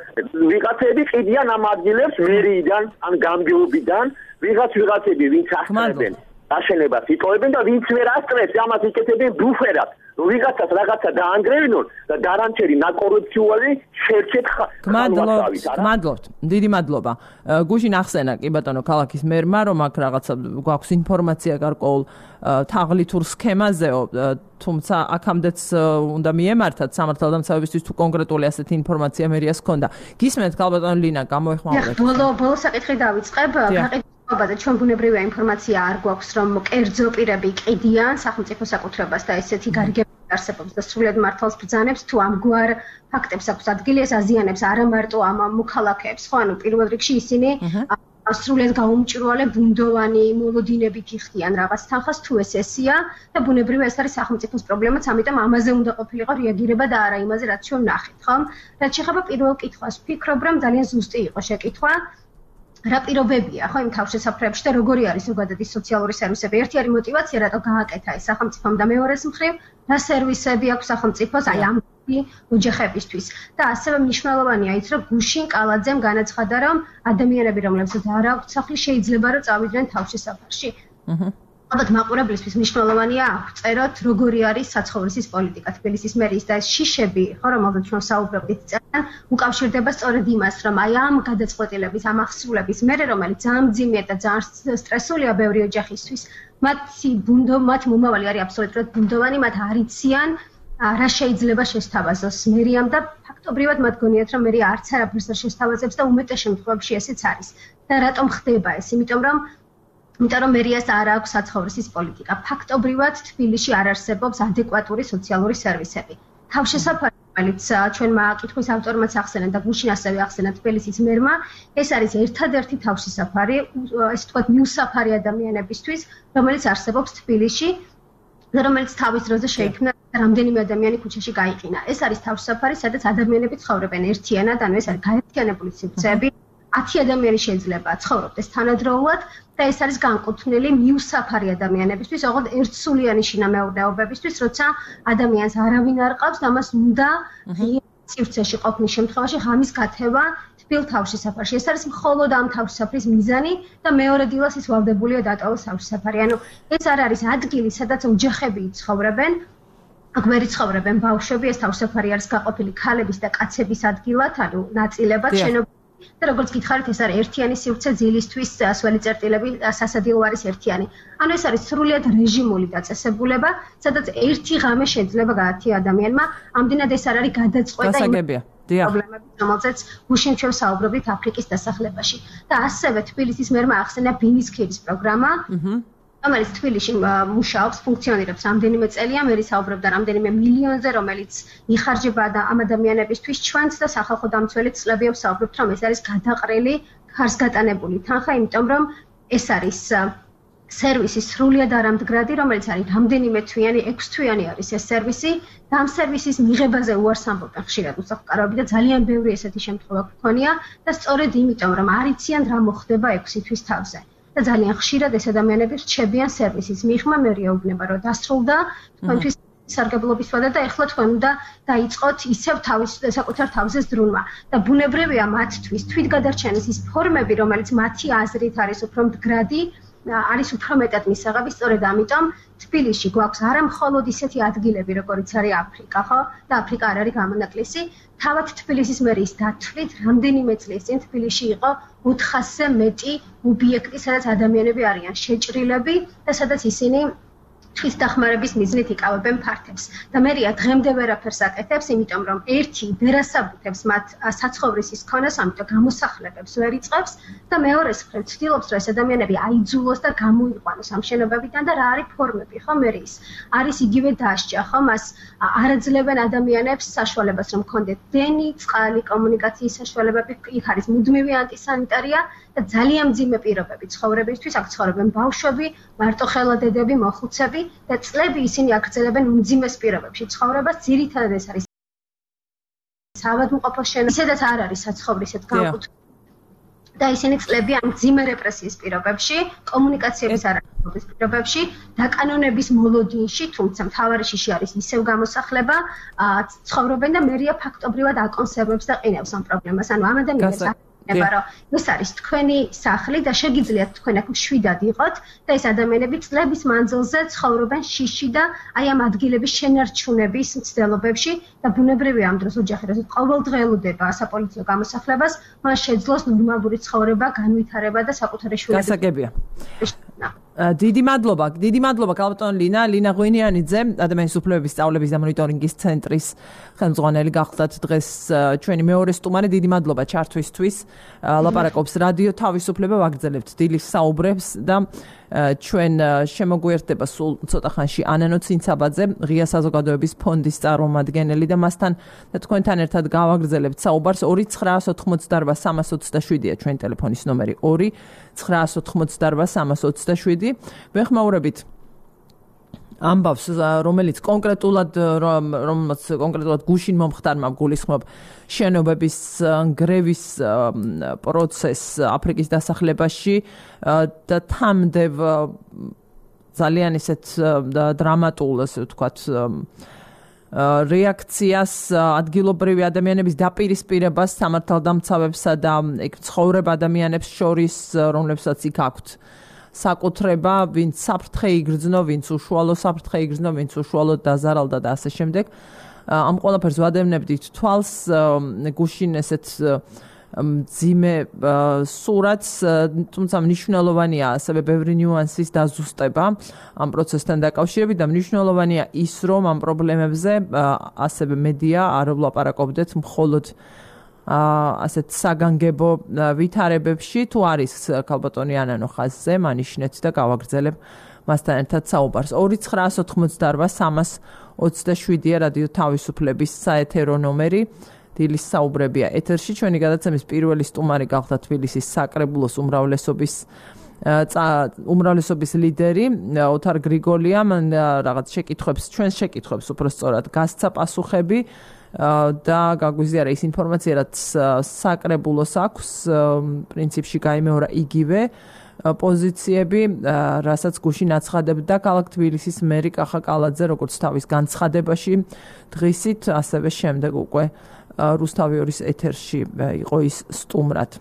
ვიღაცები ყიდიან ამ ადგილებს მერიიდან ან გამგეობიდან ვიღაცები ვინც ასწრებენ აშენებას იტოვებენ და ვინც ვერ ასწრებს ამას იკეთებენ ბუფერად რომ ვიღაცას რაღაცა დაანგრევინონ და დარანჩერი ნაკორუფციული შერჩეთ გმადლობთ დიდი მადლობა გუშინ ახსენა კი ბატონო ქალაქის მერმა რომ აქ რაღაცა გვაქვს ინფორმაცია გარკვეულ თაღლითურ სქემაზეო თუმცა აქამდეც უნდა მიემართათ სამართალდამცავებისთვის თუ კონკრეტული ასეთი ინფორმაცია მერიას ჰქონდა გისმენთ ქალბატონ ლინა გამოეხმაურეთ ბოლო საკითხი დავიწყებ და ჩვენ ბუნებრივია ინფორმაცია არ გვაქვს რომ კერძო პირები ყიდიან სახელმწიფო საკუთრებას და ესეთი გარიგებები არსებობს და სრულად მართავს ბრძანებს თუ ამგვარ ფაქტებს აქვს ადგილი ეს აზიანებს არა მარტო ამ მოქალაქეებს ხო ანუ პირველ რიგში ისინი სრულად გაუმჭრვალე ბუნდოვანი მოლოდინებით იხდიან რაღაც თანხას თუ ეს ესია და ბუნებრივია ეს არის სახელმწიფოს პრობლემაც ამიტომ ამაზე უნდა ყოფილიყო რეაგირება და არა იმაზე რაც ჩვენ ნახეთ ხო რაც შეხება პირველ კითხვას ვფიქრობ რომ ძალიან ზუსტი იყო შეკითხვა რა პირობებია ხო იმ თავშესაფრებში და როგორი არის ზოგადად ის სოციალური სერვისები ერთი არის мотиваცია რატო გააკეთა ეს სახელმწიფომ და მეორეს მხრივ რა სერვისები აქვს სახელმწიფოს აი ამ ოჯახებისთვის და ასევე მნიშვნელოვანია ის რომ გუშინ კალაძემ განაცხადა რომ ადამიანები რომლებსაც არ აქვთ სახლი შეიძლება რომ წავიდნენ თავშესაფარში ალბათ მაყურებლისთვის მნიშვნელოვანია აღწეროთ როგორი არის საცხოვრისის პოლიტიკა თბილისის მერიის და ეს შიშები ხო რომელზეც ჩვენ საუბრობთ წერან უკავშირდება სწორედ იმას რომ აი ამ გადაწყვეტილების ამ ახსრულების მერე რომელიც ძალიან მძიმეა და ძალიან სტრესულია ბევრი ოჯახისთვის მათ მომავალი არის აბსოლუტურად ბუნდოვანი მათ არ იციან რა შეიძლება შესთავაზოს მერიამ და ფაქტობრივად მათ გონიათ რომ მერი არც არაფერს არ შესთავაზებს და უმეტეს შემთხვევებში ესეც არის და რატომ ხდება ეს იმიტომ რომ მერიას არ აქვს საცხოვრისის პოლიტიკა. ფაქტობრივად თბილისში არ არსებობს ადეკვატური სოციალური სერვისები. თავშესაფარი, რომელიც ჩვენმა კითხვის ავტორმაც ახსენა და გუშინ ასევე ახსენა თბილისის მერმა, ეს არის ერთადერთი თავშესაფარი, ესე ვთქვათ, მიუსაფარი ადამიანებისთვის, რომელიც არსებობს თბილისში და რომელიც თავის დროზე შეიქმნა რამდენიმე ადამიანი ქუჩაში გაიყინა. ეს არის თავშესაფარი, სადაც ადამიანები ცხოვრობენ ერთიანად, ანუ ეს არის გაერთიანებული სივრცეები. 10 ადამიანი შეიძლება ცხოვრობდეს თანადროულად და ეს არის განკუთვნილი მიუსაფარი ადამიანებისთვის, ოღონდ ერთსულიანი შინამეურნეობებისთვის, როცა ადამიანს არავინ არ ყავს და მას უნდა სივრცეში ყოფნის შემთხვევაში ღამის გათევა თბილ თავშესაფარში. ეს არის მხოლოდ ამ თავშესაფრის მიზანი და მეორე დილას ის ვალდებულია დატოვოს თავშესაფარი. ანუ ეს არ არის ადგილი, სადაც ოჯახები ცხოვრობენ. აქ ვერ ცხოვრობენ ბავშვები, ეს თავშესაფარი არის გაყოფილი ქალების და კაცების ადგილად, ანუ ნაწილებად შენობა და როგორც გითხარით ეს არის ერთიანი სივრცე ძილისთვის სველი წერტილები სასადილო არის ერთიანი. ანუ ეს არის სრულიად რეჟიმული დაწესებულება, სადაც ერთი ღამე შეიძლება გაათია ადამიანმა, ამდენად ეს არ არის გადაწყვეტა პრობლემები, რომელზეც გუშინ ჩვენ საუბრობთ აფრიკის დასახლებაში. და ასევე თბილისის მერმა ახსენა ბინის ქედის პროგრამა, რომელიც თბილისში მუშაობს, ფუნქციონირებს რამდენიმე წელია, მე საუბრობდა რამდენიმე მილიონზე, რომელიც იხარჯება ამ ადამიანებისთვის. ჩვენც და სახალხო დამცველიც წლებიობს საუბრობთ, რომ ეს არის გადაყრილი, ხარსგატანებული თანხა, იმიტომ რომ ეს არის სერვისის სრულიად არამდგრადი, რომელიც არის რამდენიმე თვიანი, 6 თვიანი არის ეს სერვისი და ამ სერვისის მიღებაზე უარს ამბობენ ხშირად უსახლკაროები და ძალიან ბევრი ესეთი შემთხვევა გქონია და სწორედ იმიტომ, რომ არ იციან რა მოხდება 6 თვის თავზე. და ძალიან ხშირად ეს ადამიანები რჩებიან სერვისის მიღმა, მე რეუბნება, რომ დასრულდა თქვენთვის სარგებლობის ვადა და ეხლა თქვენ უნდა დაიწყოთ ისევ საკუთარ თავზე ზრუნვა. და ბუნებრივია მათთვის თვითგადარჩენის ის ფორმები, რომელიც მათი აზრით არის უფრო მდგრადი, არის უფრო მეტად მისაღები, სწორედ ამიტომ თბილისში გვაქვს არა მხოლოდ ისეთი ადგილები, როგორიც არის აფრიკა, ხო? და აფრიკა არ არის გამონაკლისი. თავად თბილისის მერის დათვლით, რამდენიმე წლის წინ თბილისში იყო 400-ზე მეტი ობიექტი, სადაც ადამიანები არიან შეჭრილები და სადაც ისინი თვის დახმარების მიზნით იკავებენ ფართებს. და მერია დღემდე ვერაფერს აკეთებს, იმიტომ რომ ერთი ვერასაბუთებს მათ საცხოვრისის ქონას, ამიტომ გამოსახლებებს ვერ იწყებს და მეორეს მხრივ ცდილობს, რომ ეს ადამიანები აიძულოს და გამოიყვანოს ამ შენობებიდან და რა არის ფორმები, ხო, მერის. არის იგივე დასჯა, ხო, მას არ აძლევენ ადამიანებს საშუალებას, რომ კონდეთ დენი, წყალი, კომუნიკაციის საშუალებები, იქ არის მუდმივი ანტისანიტარია და ძალიან მძიმე პირობები ცხოვრებისთვის, აქ ცხოვრობენ ბავშვები, მარტოხელა დედები, მოხუცები და წლები ისინი აგრძელებენ უმძიმეს პირობებში ცხოვრებას, ძირითადად ეს არის საავადმყოფოს შენობა, ისედაც არ არის საცხოვრისად განკუთვნილი და ისინი წლები ამ მძიმე რეპრესიის პირობებში, კომუნიკაციების არარსებობის პირობებში, დაკანონების მოლოდინში, თუმცა მთავარი შიში არის ისევ გამოსახლება, ცხოვრობენ და მერია ფაქტობრივად აკონსერვებს და ყინავს ამ პრობლემას. ანუ ამ ადამიანებს რომ ეს არის თქვენი სახლი და შეგიძლიათ თქვენ აქ მშვიდად იყოთ და ეს ადამიანები წლების მანძილზე ცხოვრობენ შიში და აი ამ ადგილების შენარჩუნების მცდელობებში და ბუნებრივია ამ დროს ოჯახი როცა ყოველდღე ელოდება საპოლიციო გამოსახლებას, მას შეძლოს ნორმალური ცხოვრება, განვითარება და საკუთარი შვილები. გასაგებია. დიდი მადლობა კალბატონ ლინა ღვინიანიძე, ადამიანის უფლებების სწავლების და მონიტორინგის ცენტრის ხელმძღვანელი გახლდათ დღეს ჩვენი მეორე სტუმარი. დიდი მადლობა ჩართვისთვის. ლაპარაკობს რადიო თავისუფლება, ვაგრძელებთ დილის საუბრებს და ჩვენ შემოგვიერთდება სულ ცოტა ხანში ანანო ცინცაბაძე, ღია საზოგადოების ფონდის წარმომადგენელი და მასთან და თქვენთან ერთად გავაგრძელებთ საუბარს. 2-988-327-ია ჩვენი ტელეფონის ნომერი, 2-988-327. ვეხმაურებით ამბავს, რომელიც კონკრეტულად გუშინ მომხდარმა გულისხმობ შენობების გრევის პროცესს აფრიკის დასახლებაში და თამდე ძალიან ისეთ დრამატულ, ასე ვთქვათ, რეაქციას ადგილობრივი ადამიანების დაპირისპირებას სამართალდამცავებსა და იქ ცხოვრებ ადამიანებს შორის, რომლებსაც იქ აქვთ საკუთრება, ვინც საფრთხე იგრძნო, ვინც უშუალო საფრთხე იგრძნო, ვინც უშუალოდ დაზარალდა და ასე შემდეგ. ამ ყველაფერს ვადევნებდით თვალს, გუშინ ესეთ მძიმე სურათს, თუმცა მნიშვნელოვანია ასევე ბევრი ნიუანსის დაზუსტება ამ პროცესთან დაკავშირებით და მნიშვნელოვანია ის, რომ ამ პრობლემებზე ასევე მედია არ ვლაპარაკობდეთ მხოლოდ ასეთ საგანგებო ვითარებებში, თუ არის ქალბატონი ანანო ხაზზე, მანიშნეთ და გავაგრძელებ მასთან ერთად საუბარს. 2-988-327-ია რადიო თავისუფლების საეთერო ნომერი. დილის საუბრებია ეთერში. ჩვენი გადაცემის პირველი სტუმარი გახდა თბილისის საკრებულოს უმრავლესობის ლიდერი ოთარ გრიგოლია. მან რაღაც ჩვენს შეკითხვებს უბრალოდ გასცა პასუხები და გაგვიზიარა ის ინფორმაცია, რაც საკრებულოს აქვს, პრინციპში გაიმეორა იგივე პოზიციები, რასაც გუშინ აცხადებდა ქალაქ თბილისის მერი კახა კალაძე, როგორც თავის განცხადებაში დღისით, ასევე შემდეგ უკვე რუსთავიორის ეთერში იყო ის სტუმრად.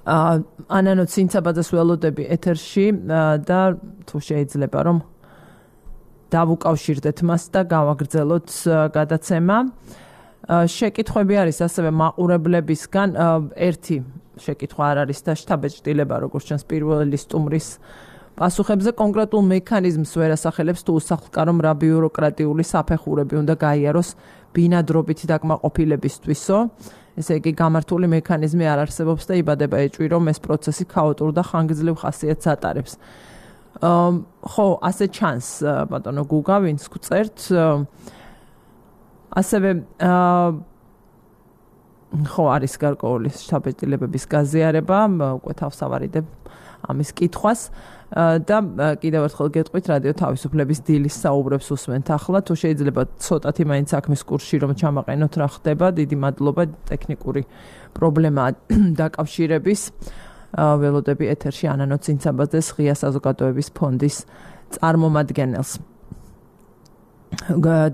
ანანო ცინცაბაძეს ველოდები ეთერში და თუ შეიძლება რომ დავუკავშირდეთ მას და გავაგრძელოთ გადაცემა. შეკითხვები არის ასევე მაყურებლებისგან. ერთი შეკითხვა არ არის და შთაბეჭდილება, როგორც ჩანს პირველი სტუმრის პასუხებზე კონკრეტულ მექანიზმს ვერ ასახელებს თუ უსახლკარომ რა ბიუროკრატიული საფეხურები უნდა გაიაროს ბინადრობითი დაკმაყოფილებისთვისო. ესე იგი გამართული მექანიზმი არ არსებობს და იბადება ეჭვი, რომ ეს პროცესი ქაოტურ და ხანგრძლივ ხასიათს ატარებს. ხო, ასე ჩანს, ბატონო გუგა, ვინც გვწერთ. ასევე ხო, არის გარკვეული შთაბეჭდილებების გაზიარება, უკვე თავს ავარიდებ ამის კითხვას და კიდევ ერთხელ გეტყვით რადიო თავისუფლების დილის საუბრებს უსმენთ ახლა, თუ შეიძლება ცოტათი მაინც საქმის კურსში რომ ჩამაყენოთ რა ხდება, დიდი მადლობა, ტექნიკური პრობლემა დაკავშირების. ველოდები ეთერში ანანო ცინცაბაძეს ღია საზოგადოების ფონდის წარმომადგენელს.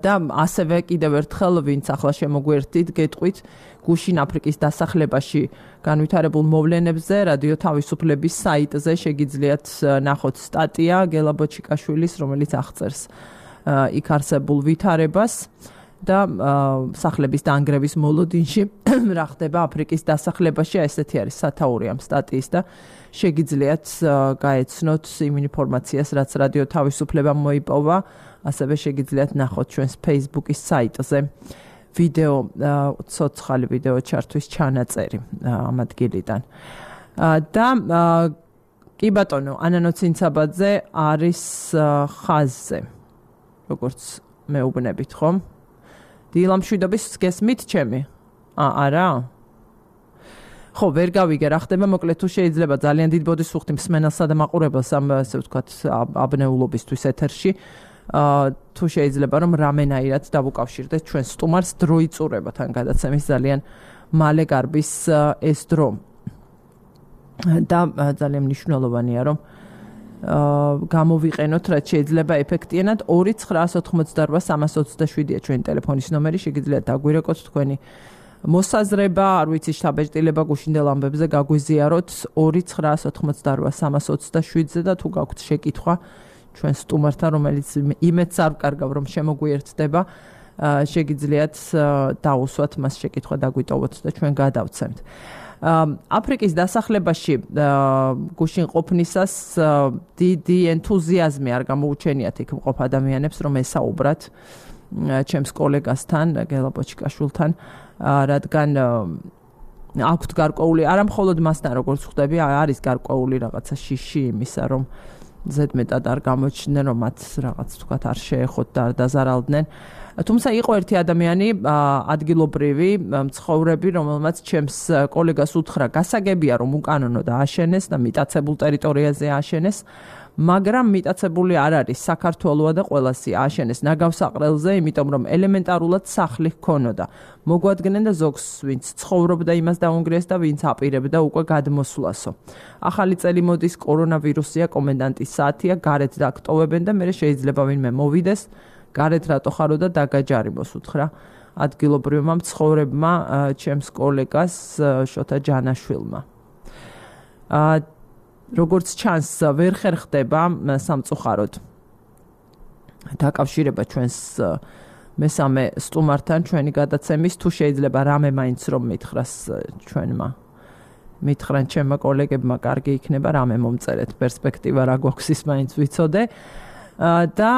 და ასევე კიდევ ერთხელ ვინც ახლა შემოგვერთით, გეტყვით გუშინ აფრიკის დასახლებაში განვითარებულ მოვლენებზე რადიო თავისუფლების საიტზე შეგიძლიათ ნახოთ სტატია გელა ბოჩიკაშვილის, რომელიც აღწერს იქ არსებულ ვითარებას და სახლების დაანგრევის მოლოდინში რა ხდება აფრიკის დასახლებაში. ესეთი არის სათაური ამ სტატიის და შეგიძლიათ გაეცნოთ იმ ინფორმაციას, რაც რადიო თავისუფლებამ მოიპოვა. ასევე შეგიძლიათ ნახოთ ჩვენს Facebook-ის საიტზე ვიდეო, ცოცხალი ვიდეო ჩართვის ჩანაწერი ამ ადგილიდან. და კი ბატონო, ანანო ცინცაბაძე არის ხაზზე. როგორც მეუბნებით, ხომ? დილამშვიდობის გესმით ჩემი? არა? ხო, ვერ გავიგე რა ხდება, მოკლედ თუ შეიძლება ძალიან დიდ ბოდის ვუხდი მსმენელსა და მაყურებელს ამ ასე ვთქვათ აბნეულობისთვის ეთერში. თუ შეიძლება რომ რამენაირად დავუკავშირდეთ ჩვენ სტუმარს დრო იწურება თან გადაცემის ძალიან მალე გარბის ეს დრო. და ძალიან მნიშვნელოვანია რომ გამოვიყენოთ რაც შეიძლება ეფექტიანად 2988327-ია ჩვენი ტელეფონის ნომერი, შეგიძლიათ დაგვირეკოთ თქვენი მოსაზრება, არ ვიცი შთაბეჭდილება გუშინდელ ამბებზე გაგვიზიაროთ 2988327-ზე და თუ გაქვთ შეკითხვა ჩვენ სტუმართან, რომელიც იმედს არ ვკარგავ რომ შემოგვიერთდება, შეგიძლიათ დაუსვათ მას შეკითხვა დაგვიტოვოთ და ჩვენ გადავცემთ. აფრიკის დასახლებაში გუშინ ყოფნისას დიდი ენთუზიაზმი არ გამოუჩენიათ იქ მყოფ ადამიანებს რომ ესაუბრათ ჩემს კოლეგასთან, გელა ბოჩიკაშვილთან, რადგან აქვთ გარკვეული, არა მხოლოდ მასთან როგორც ხვდები, არის გარკვეული რაღაცა შიში იმისა, რომ ზედმეტად არ გამოჩნდნენ, რომ მათ რაღაც თქვათ არ შეეხოთ და არ დაზარალდნენ. თუმცა იყო ერთი ადამიანი, ადგილობრივი მცხოვრები, რომელმაც ჩემს კოლეგას უთხრა, გასაგებია რომ უკანონო დააშენეს და მიტაცებულ ტერიტორიაზე ააშენეს, მაგრამ მიტაცებული არ არის საქართველოა და ყველასი ააშენეს ნაგავსაყრელზე, იმიტომ რომ ელემენტარულად სახლი ჰქონოდა. მოგვადგნენ და ზოგს ვინც ცხოვრობდა იმას დაუნგრიეს და ვინც აპირებდა უკვე გადმოსვლასო. ახალი წელი მოდის, კორონავირუსია, კომენდანტის საათია, გარეთ დაგტოვებენ და მე შეიძლება ვინმე მოვიდეს, გარეთ რატო ხარო და დაგაჯარიმოს, უთხრა ადგილობრივმა მცხოვრებმა ჩემს კოლეგას შოთა ჯანაშვილმა. როგორც ჩანს, ვერ ხერხდება სამწუხაროდ დაკავშირება ჩვენს მესამე სტუმართან ჩვენი გადაცემის, თუ შეიძლება რამე მაინც რომ მითხრას ჩვენმა მითხრან ჩემმა კოლეგებმა, კარგი იქნება რამე მომწერეთ, პერსპექტივა რა გვაქვს ის მაინც ვიცოდე. და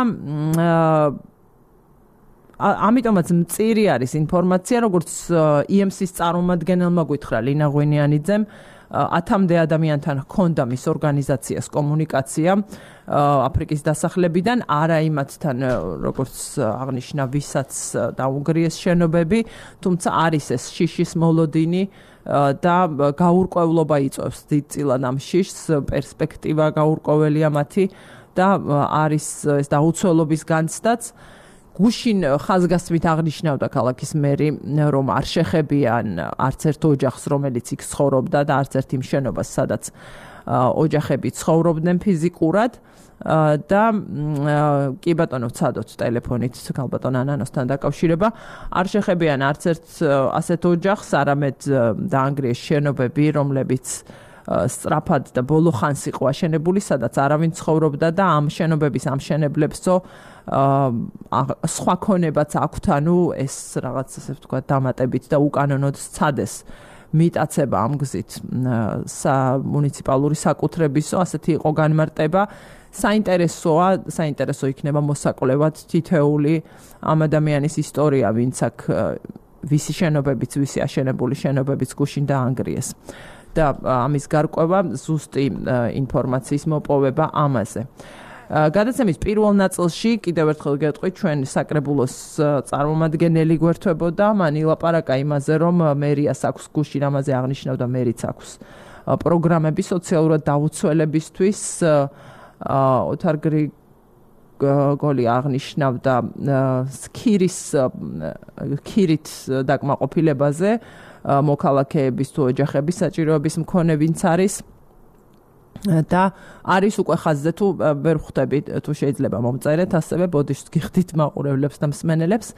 ამიტომაც მწირი არის ინფორმაცია, როგორც EMC-ის წარმომადგენელმა გითხრა ლინა ღვინიანიძემ, 10-მდე ადამიანთან ჰქონდა მის ორგანიზაციას კომუნიკაცია აფრიკის დასახლებიდან, არა იმათთან, როგორც აღნიშნა, ვისაც დაუგრიეს შენობები, თუმცა არის ეს შიშის მოლოდინი და გაურკვევლობა იწვევს დიდწილად ამ შიშს, პერსპექტივა გაურკვეველია მათი და არის ეს დაუცველობის განცდაც. გუშინ ხაზგასმით აღნიშნავდა ქალაქის მერი, რომ არ შეხებიან არც ერთ ოჯახს, რომელიც იქ ცხოვრობდა და არც ერთ იმ შენობას, სადაც ოჯახები ცხოვრობდნენ ფიზიკურად და კი ბატონო ვცადოთ ტელეფონით ქალბატონ ანანოსთან დაკავშირება, არ შეხებიან არც ერთ ასეთ ოჯახს, არამედ დაანგრიეს შენობები, რომლებიც სწრაფად და ბოლო ხანს იყო აშენებული, სადაც არავინ ცხოვრობდა და ამ შენობების ამშენებლებსო სხვა ქონებაც აქვთ, ანუ ეს რაღაც ასე ვთქვათ დამატებით და უკანონოდ სცადეს მიტაცება ამ გზით მუნიციპალური საკუთრებისო, ასეთი იყო განმარტება. საინტერესო იქნება მოსაკვლევად თითეული ამ ადამიანის ისტორია, ვინც აქ ვისი შენობებიც, ვისი აშენებული შენობებიც გუშინ დაანგრიეს. და ამის გარკვევა ზუსტი ინფორმაციის მოპოვება ამაზე. გადაცემის პირველ ნაწილში კიდევ ერთხელ გეტყვით, ჩვენ საკრებულოს წარმომადგენელი გვერდებოდა, მან ილაპარაკა იმაზე, რომ მერიას აქვს გუშინ ამაზე აღნიშნავდა, მერიც აქვს პროგრამები სოციალურად დაუცველებისთვის. ოთარ გრიგოლი აღნიშნავდა ქირით დაკმაყოფილებაზე, მოქალაქეების თუ ოჯახების საჭიროების მქონე ვინც არის და არის უკვე ხაზზე თუ ვერ ხვდები თუ შეიძლება მომწერეთ ასევე ბოდიშს გიხდით მაყურებლებს და მსმენელებს,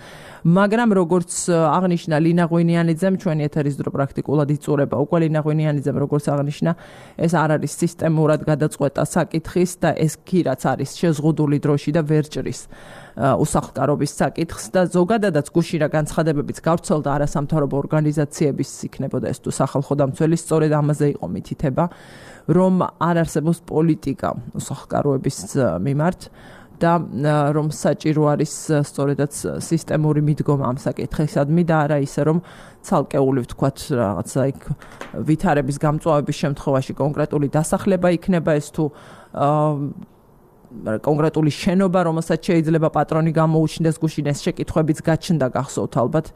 მაგრამ როგორც აღნიშნა ლინა ღვინიანიძემ, ჩვენი ეთერის დრო პრაქტიკულად იწურება უკვე ლინა ღვინიანიძემ როგორც აღნიშნა, ეს არ არის სისტემურად გადაწყვეტა საკითხის და ეს ქირაც არის შეზღუდული დროში და ვერ ჭრის უსახლკარობის საკითხს და ზოგადადაც გუშინ რა განცხადებებიც გავრცელდა არასამთავრობო ორგანიზაციების იქნებოდა ეს თუ სახალხო დამცველი, სწორედ ამაზე იყო მითითება, რომ არ არსებობს პოლიტიკა უსახლკაროების მიმართ და რომ საჭირო არის სწორედაც სისტემური მიდგომა ამ საკითხისადმი და არა ისე რომ ცალკეული ვთქვათ რაღაცა იქ ვითარების გამწვავების შემთხვევაში კონკრეტული დასახლება იქნება ეს თუ კონკრეტული შენობა, რომელსაც შეიძლება პატრონი გამოუჩნდეს, გუშინ ეს შეკითხვებიც გაჩნდა გახსოვთ ალბათ,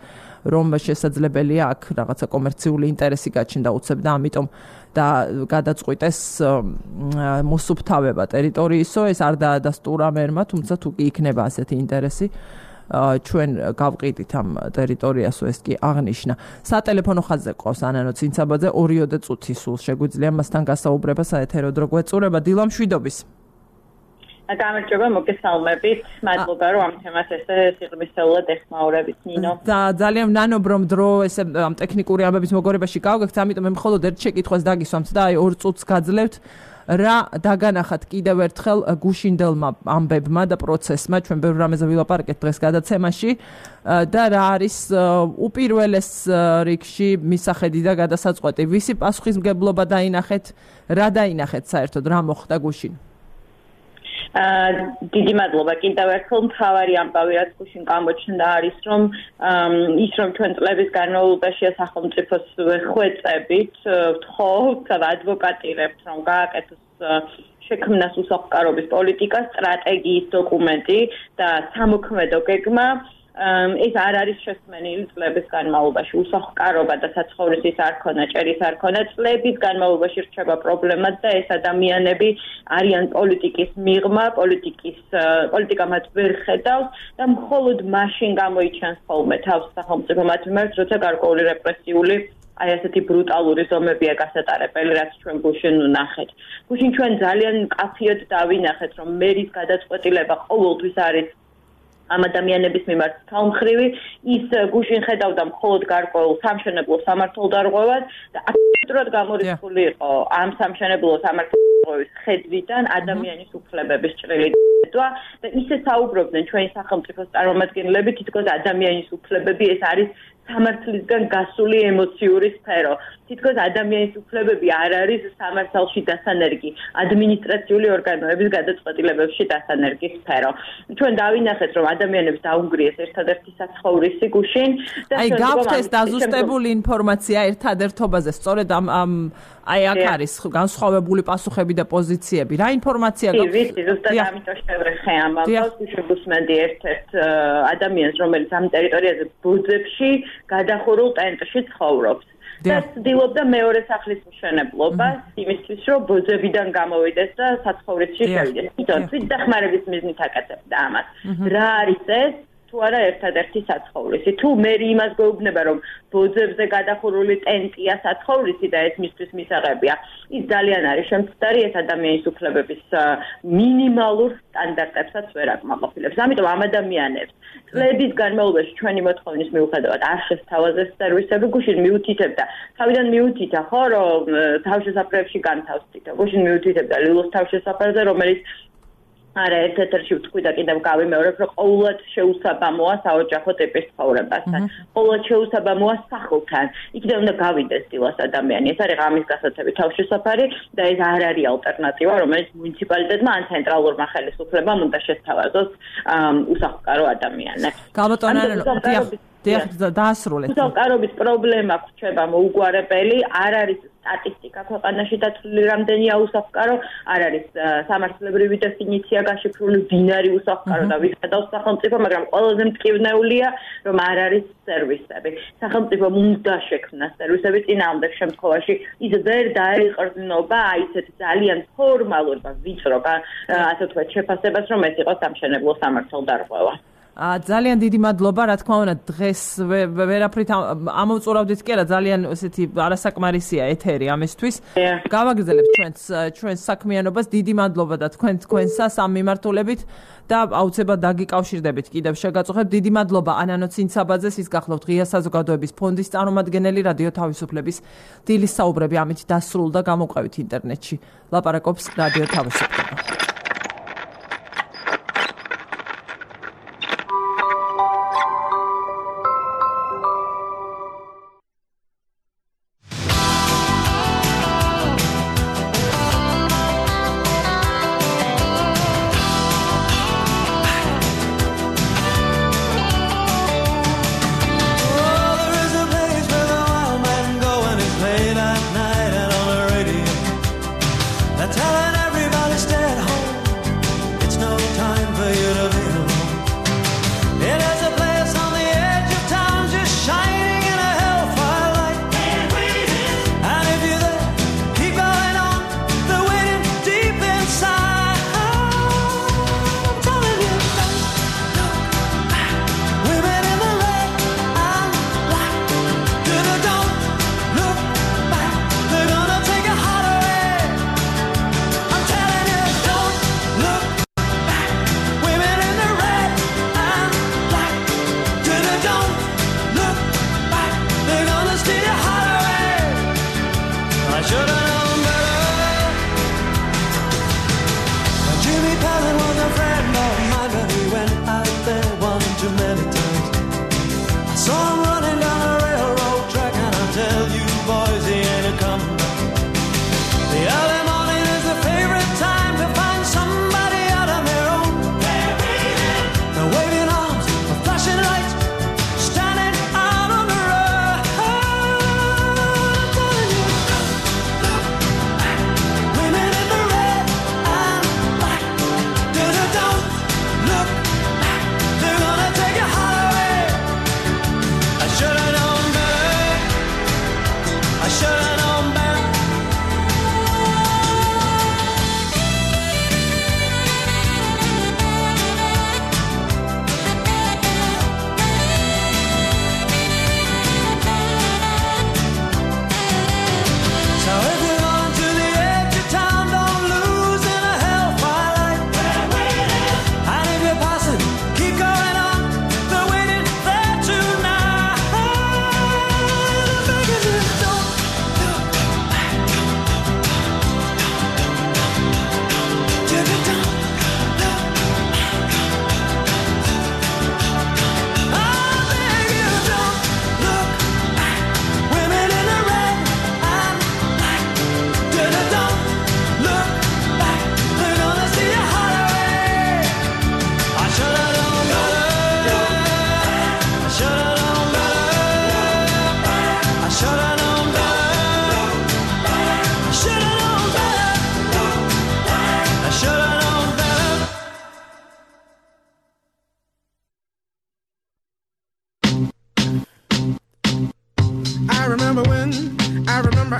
რომ შესაძლებელია აქ რაღაცა კომერციული ინტერესი გაჩნდა უცებ და ამიტომ და გადაწყვიტეს მოსუფთავება ტერიტორიისო, ეს არ დაადასტურა მერმა, თუმცა თუ კი იქნება ასეთი ინტერესი, ჩვენ გავყიდით ამ ტერიტორიასო, ეს კი აღნიშნა. სატელეფონო ხაზზე ყავს ანანო ცინცაბაძე, 2 წუთი სულ შეგვიძლია მასთან გასაუბრება საეთერო დრო გვეწურება. დილა მშვიდობის. გამარჯობა, მოგესალმებით. მადლობა, რომ ამ თემას ესე სიღრმისეულად ეხმაურებით, ნინო. და ძალიან ვნანობ, რომ დრო ესე ამ ტექნიკური ამბების მოგორებაში გავგებთ, ამიტომ მე მხოლოდ ერთ შეკითხვას დაგისვამთ და აი 2 წუთს გაძლევთ. რა დაგანახათ კიდევ ერთხელ გუშინდელმა ამბებმა და პროცესმა, ჩვენ ბევრ რამეზე ვილაპარაკეთ დღეს გადაცემაში და რა არის უპირველეს რიგში მისახედი და გადასაწყვეტი, ვისი პასუხისმგებლობა დაინახეთ, რა დაინახეთ საერთოდ, რა მოხდა გუშინ? დიდი მადლობა კიდევ ერთხელ. მთავარი ამბავი რაც გუშინ გამოჩნდა არის რომ ჩვენ წლების განმავლობაში სახელმწიფოს ხვეწებით ვთხოვთ და ადვოკატირებთ რომ გააკეთოს შექმნას უსახლკარობის პოლიტიკას სტრატეგიის დოკუმენტი და სამოქმედო გეგმა. ეს არ არის შესმენილი წლების განმავლობაში უსახლკარობა და საცხოვრისის არქონა, ჭერის არქონა წლების განმავლობაში რჩება პრობლემად და ეს ადამიანები არიან პოლიტიკის მიღმა, პოლიტიკა მათ ვერ ხედავს და მხოლოდ მაშინ გამოიჩენს ხოლმე თავს სახელმწიფო მათ მიმართ, როცა გარკვეული რეპრესიული აი ასეთი ბრუტალური ზომებია გასატარებელი, რაც ჩვენ გუშინ ვნახეთ. გუშინ ჩვენ ძალიან მკაფიოდ დავინახეთ, რომ მერის გადაწყვეტილება ყოველთვის არის ამ ადამიანების მიმართ თავმხრივი, ის გუშინ ხედავდა მხოლოდ გარკვეულ სამშენებლო სამართალდარღვევას და აქტიურად გამორიცხული იყო ამ სამშენებლო სამართალდარღვევის ხედვიდან ადამიანის უფლებების ჭრილი დადვა და ისე საუბრობდნენ ჩვენი სახელმწიფოს წარმომადგენლები, თითქოს ადამიანის უფლებები ეს არის სამართლისგან გასული ემოციური სფერო. თითქოს ადამიანის უფლებები არ არის სამართალში დასანერგი, ადმინისტრაციული ორგანოების გადაწყვეტილებებში დასანერგი სფერო. ჩვენ დავინახეთ, რომ ადამიანებს დაუნგრიეს ერთადერთი საცხოვრისი გუშინ და აი გაქვთ ეს დაზუსტებული ინფორმაცია ერთადერთობაზე, სწორედ ამ აი აქ არის განსხვავებული პასუხები და პოზიციები. რა ინფორმაცია გაქვთ? ვიცი, ზუსტად ამიტომ შევეხე ამ ამბავს, შეგუსმენდი ერთ-ერთ ადამიანს, რომელიც ამ ტერიტორიაზე ბუძებში გადახურულ ტენტში ცხოვრობს. და ცდილობდა მეორე სახლის მშენებლობას იმისთვის, რომ ბუძებიდან გამოვიდეს და საცხოვრისში შევიდეს. თვითონ დახმარების მიზნით აკეთებდა ამას. რა არის ეს? თუ არა ერთადერთი საცხოვრისი. თუ მე იმას გვეუბნება, რომ ბოძებზე გადახურული ტენტია საცხოვრისი და ეს მისთვის მისაღებია, ის ძალიან არის შემცდარი, ეს ადამიანის უფლებების მინიმალურ სტანდარტებსაც ვერ აკმაყოფილებს. ამიტომ ამ ადამიანებს წლების განმავლობაში ჩვენი მოთხოვნის მიუხედავად არ შესთავაზეს სერვისები, გუშინ მიუთითებდა. თავიდან მიუთითა, ხო, რომ თავშესაფრებში განთავსდით. გუშინ მიუთითებდა ლილოს თავშესაფარზე, რომელიც არა ერთ-ერთი ვთქვი და კიდევ გავიმეორებ რომ ყოველად შეუსაბამოა საოჯახო ტიპის ცხოვრებასთან ყოველად შეუსაბამოა სახლთან იქიდან უნდა გავიდეს დილას ადამიანი ეს არის ღამის გასაცემი თავშესაფარი და ეს არ არის ალტერნატივა რომელიც მუნიციპალიტეტმა ან ცენტრალურმა ხელისუფლებამ უნდა შესთავაზოს უსახლკარო ადამიანებს დაასრულეთ უსახლკარობის პრობლემა გვხვდება მოუგვარებელი არ არის სტატისტიკა ქვეყანაში დათვლილი რამდენია უსახლკარო არ არის სამართლებრივი დეფინიცია გაშიფრული დინარი უსახლკარო და ვიხადავს სახელმწიფო მაგრამ ყველაზე მტკივნეულია რომ არ არის სერვისები სახელმწიფომ უნდა შექმნას სერვისები წინააღმდეგ შემთხვევაში ის ვერ დაეყრდნობა ისეთ ძალიან ფორმალურ და ვიწრო ასე ვთქვათ შეფასებას რომ ეს იყოს სამშენებლო სამართალდარღვევა ძალიან დიდი მადლობა, რა თქმა უნდა, დღეს ვერაფრით ამოვწურავდით კი არა, ძალიან ესეთი არასაკმარისია ეთერი ამისთვის. გავაგრძელებთ ჩვენს საქმიანობას. დიდი მადლობა და თქვენსა სამ მიმართულებით და აუცილებლად დაგიკავშირდებით კიდევ შეგაწუხებთ. დიდი მადლობა ანანო ცინცაბაძეს, ის გახლავთ ღია საზოგადოების ფონდის წარმომადგენელი რადიო თავისუფლების დილის საუბრები ამით დასრულდა გამოყვებით ინტერნეტში. ლაპარაკობს რადიო თავისუფლება.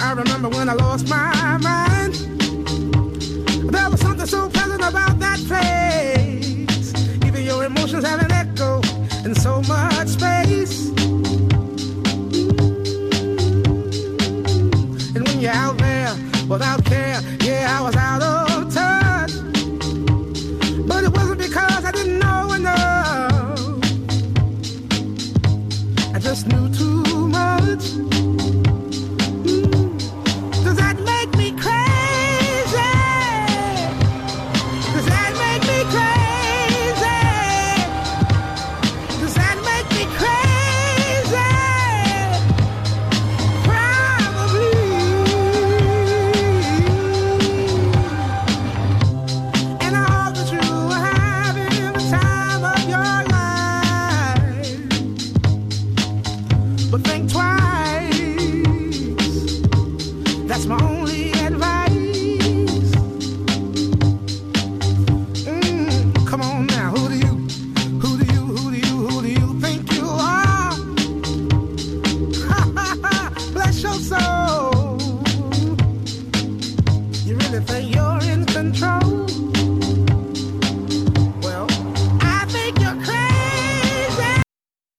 I remember when I lost my mind. There was something so pleasant about that place. Even your emotions have an echo in so much space. And when you're out there without care, yeah, I was out of touch. But it wasn't because I didn't know enough. I just knew too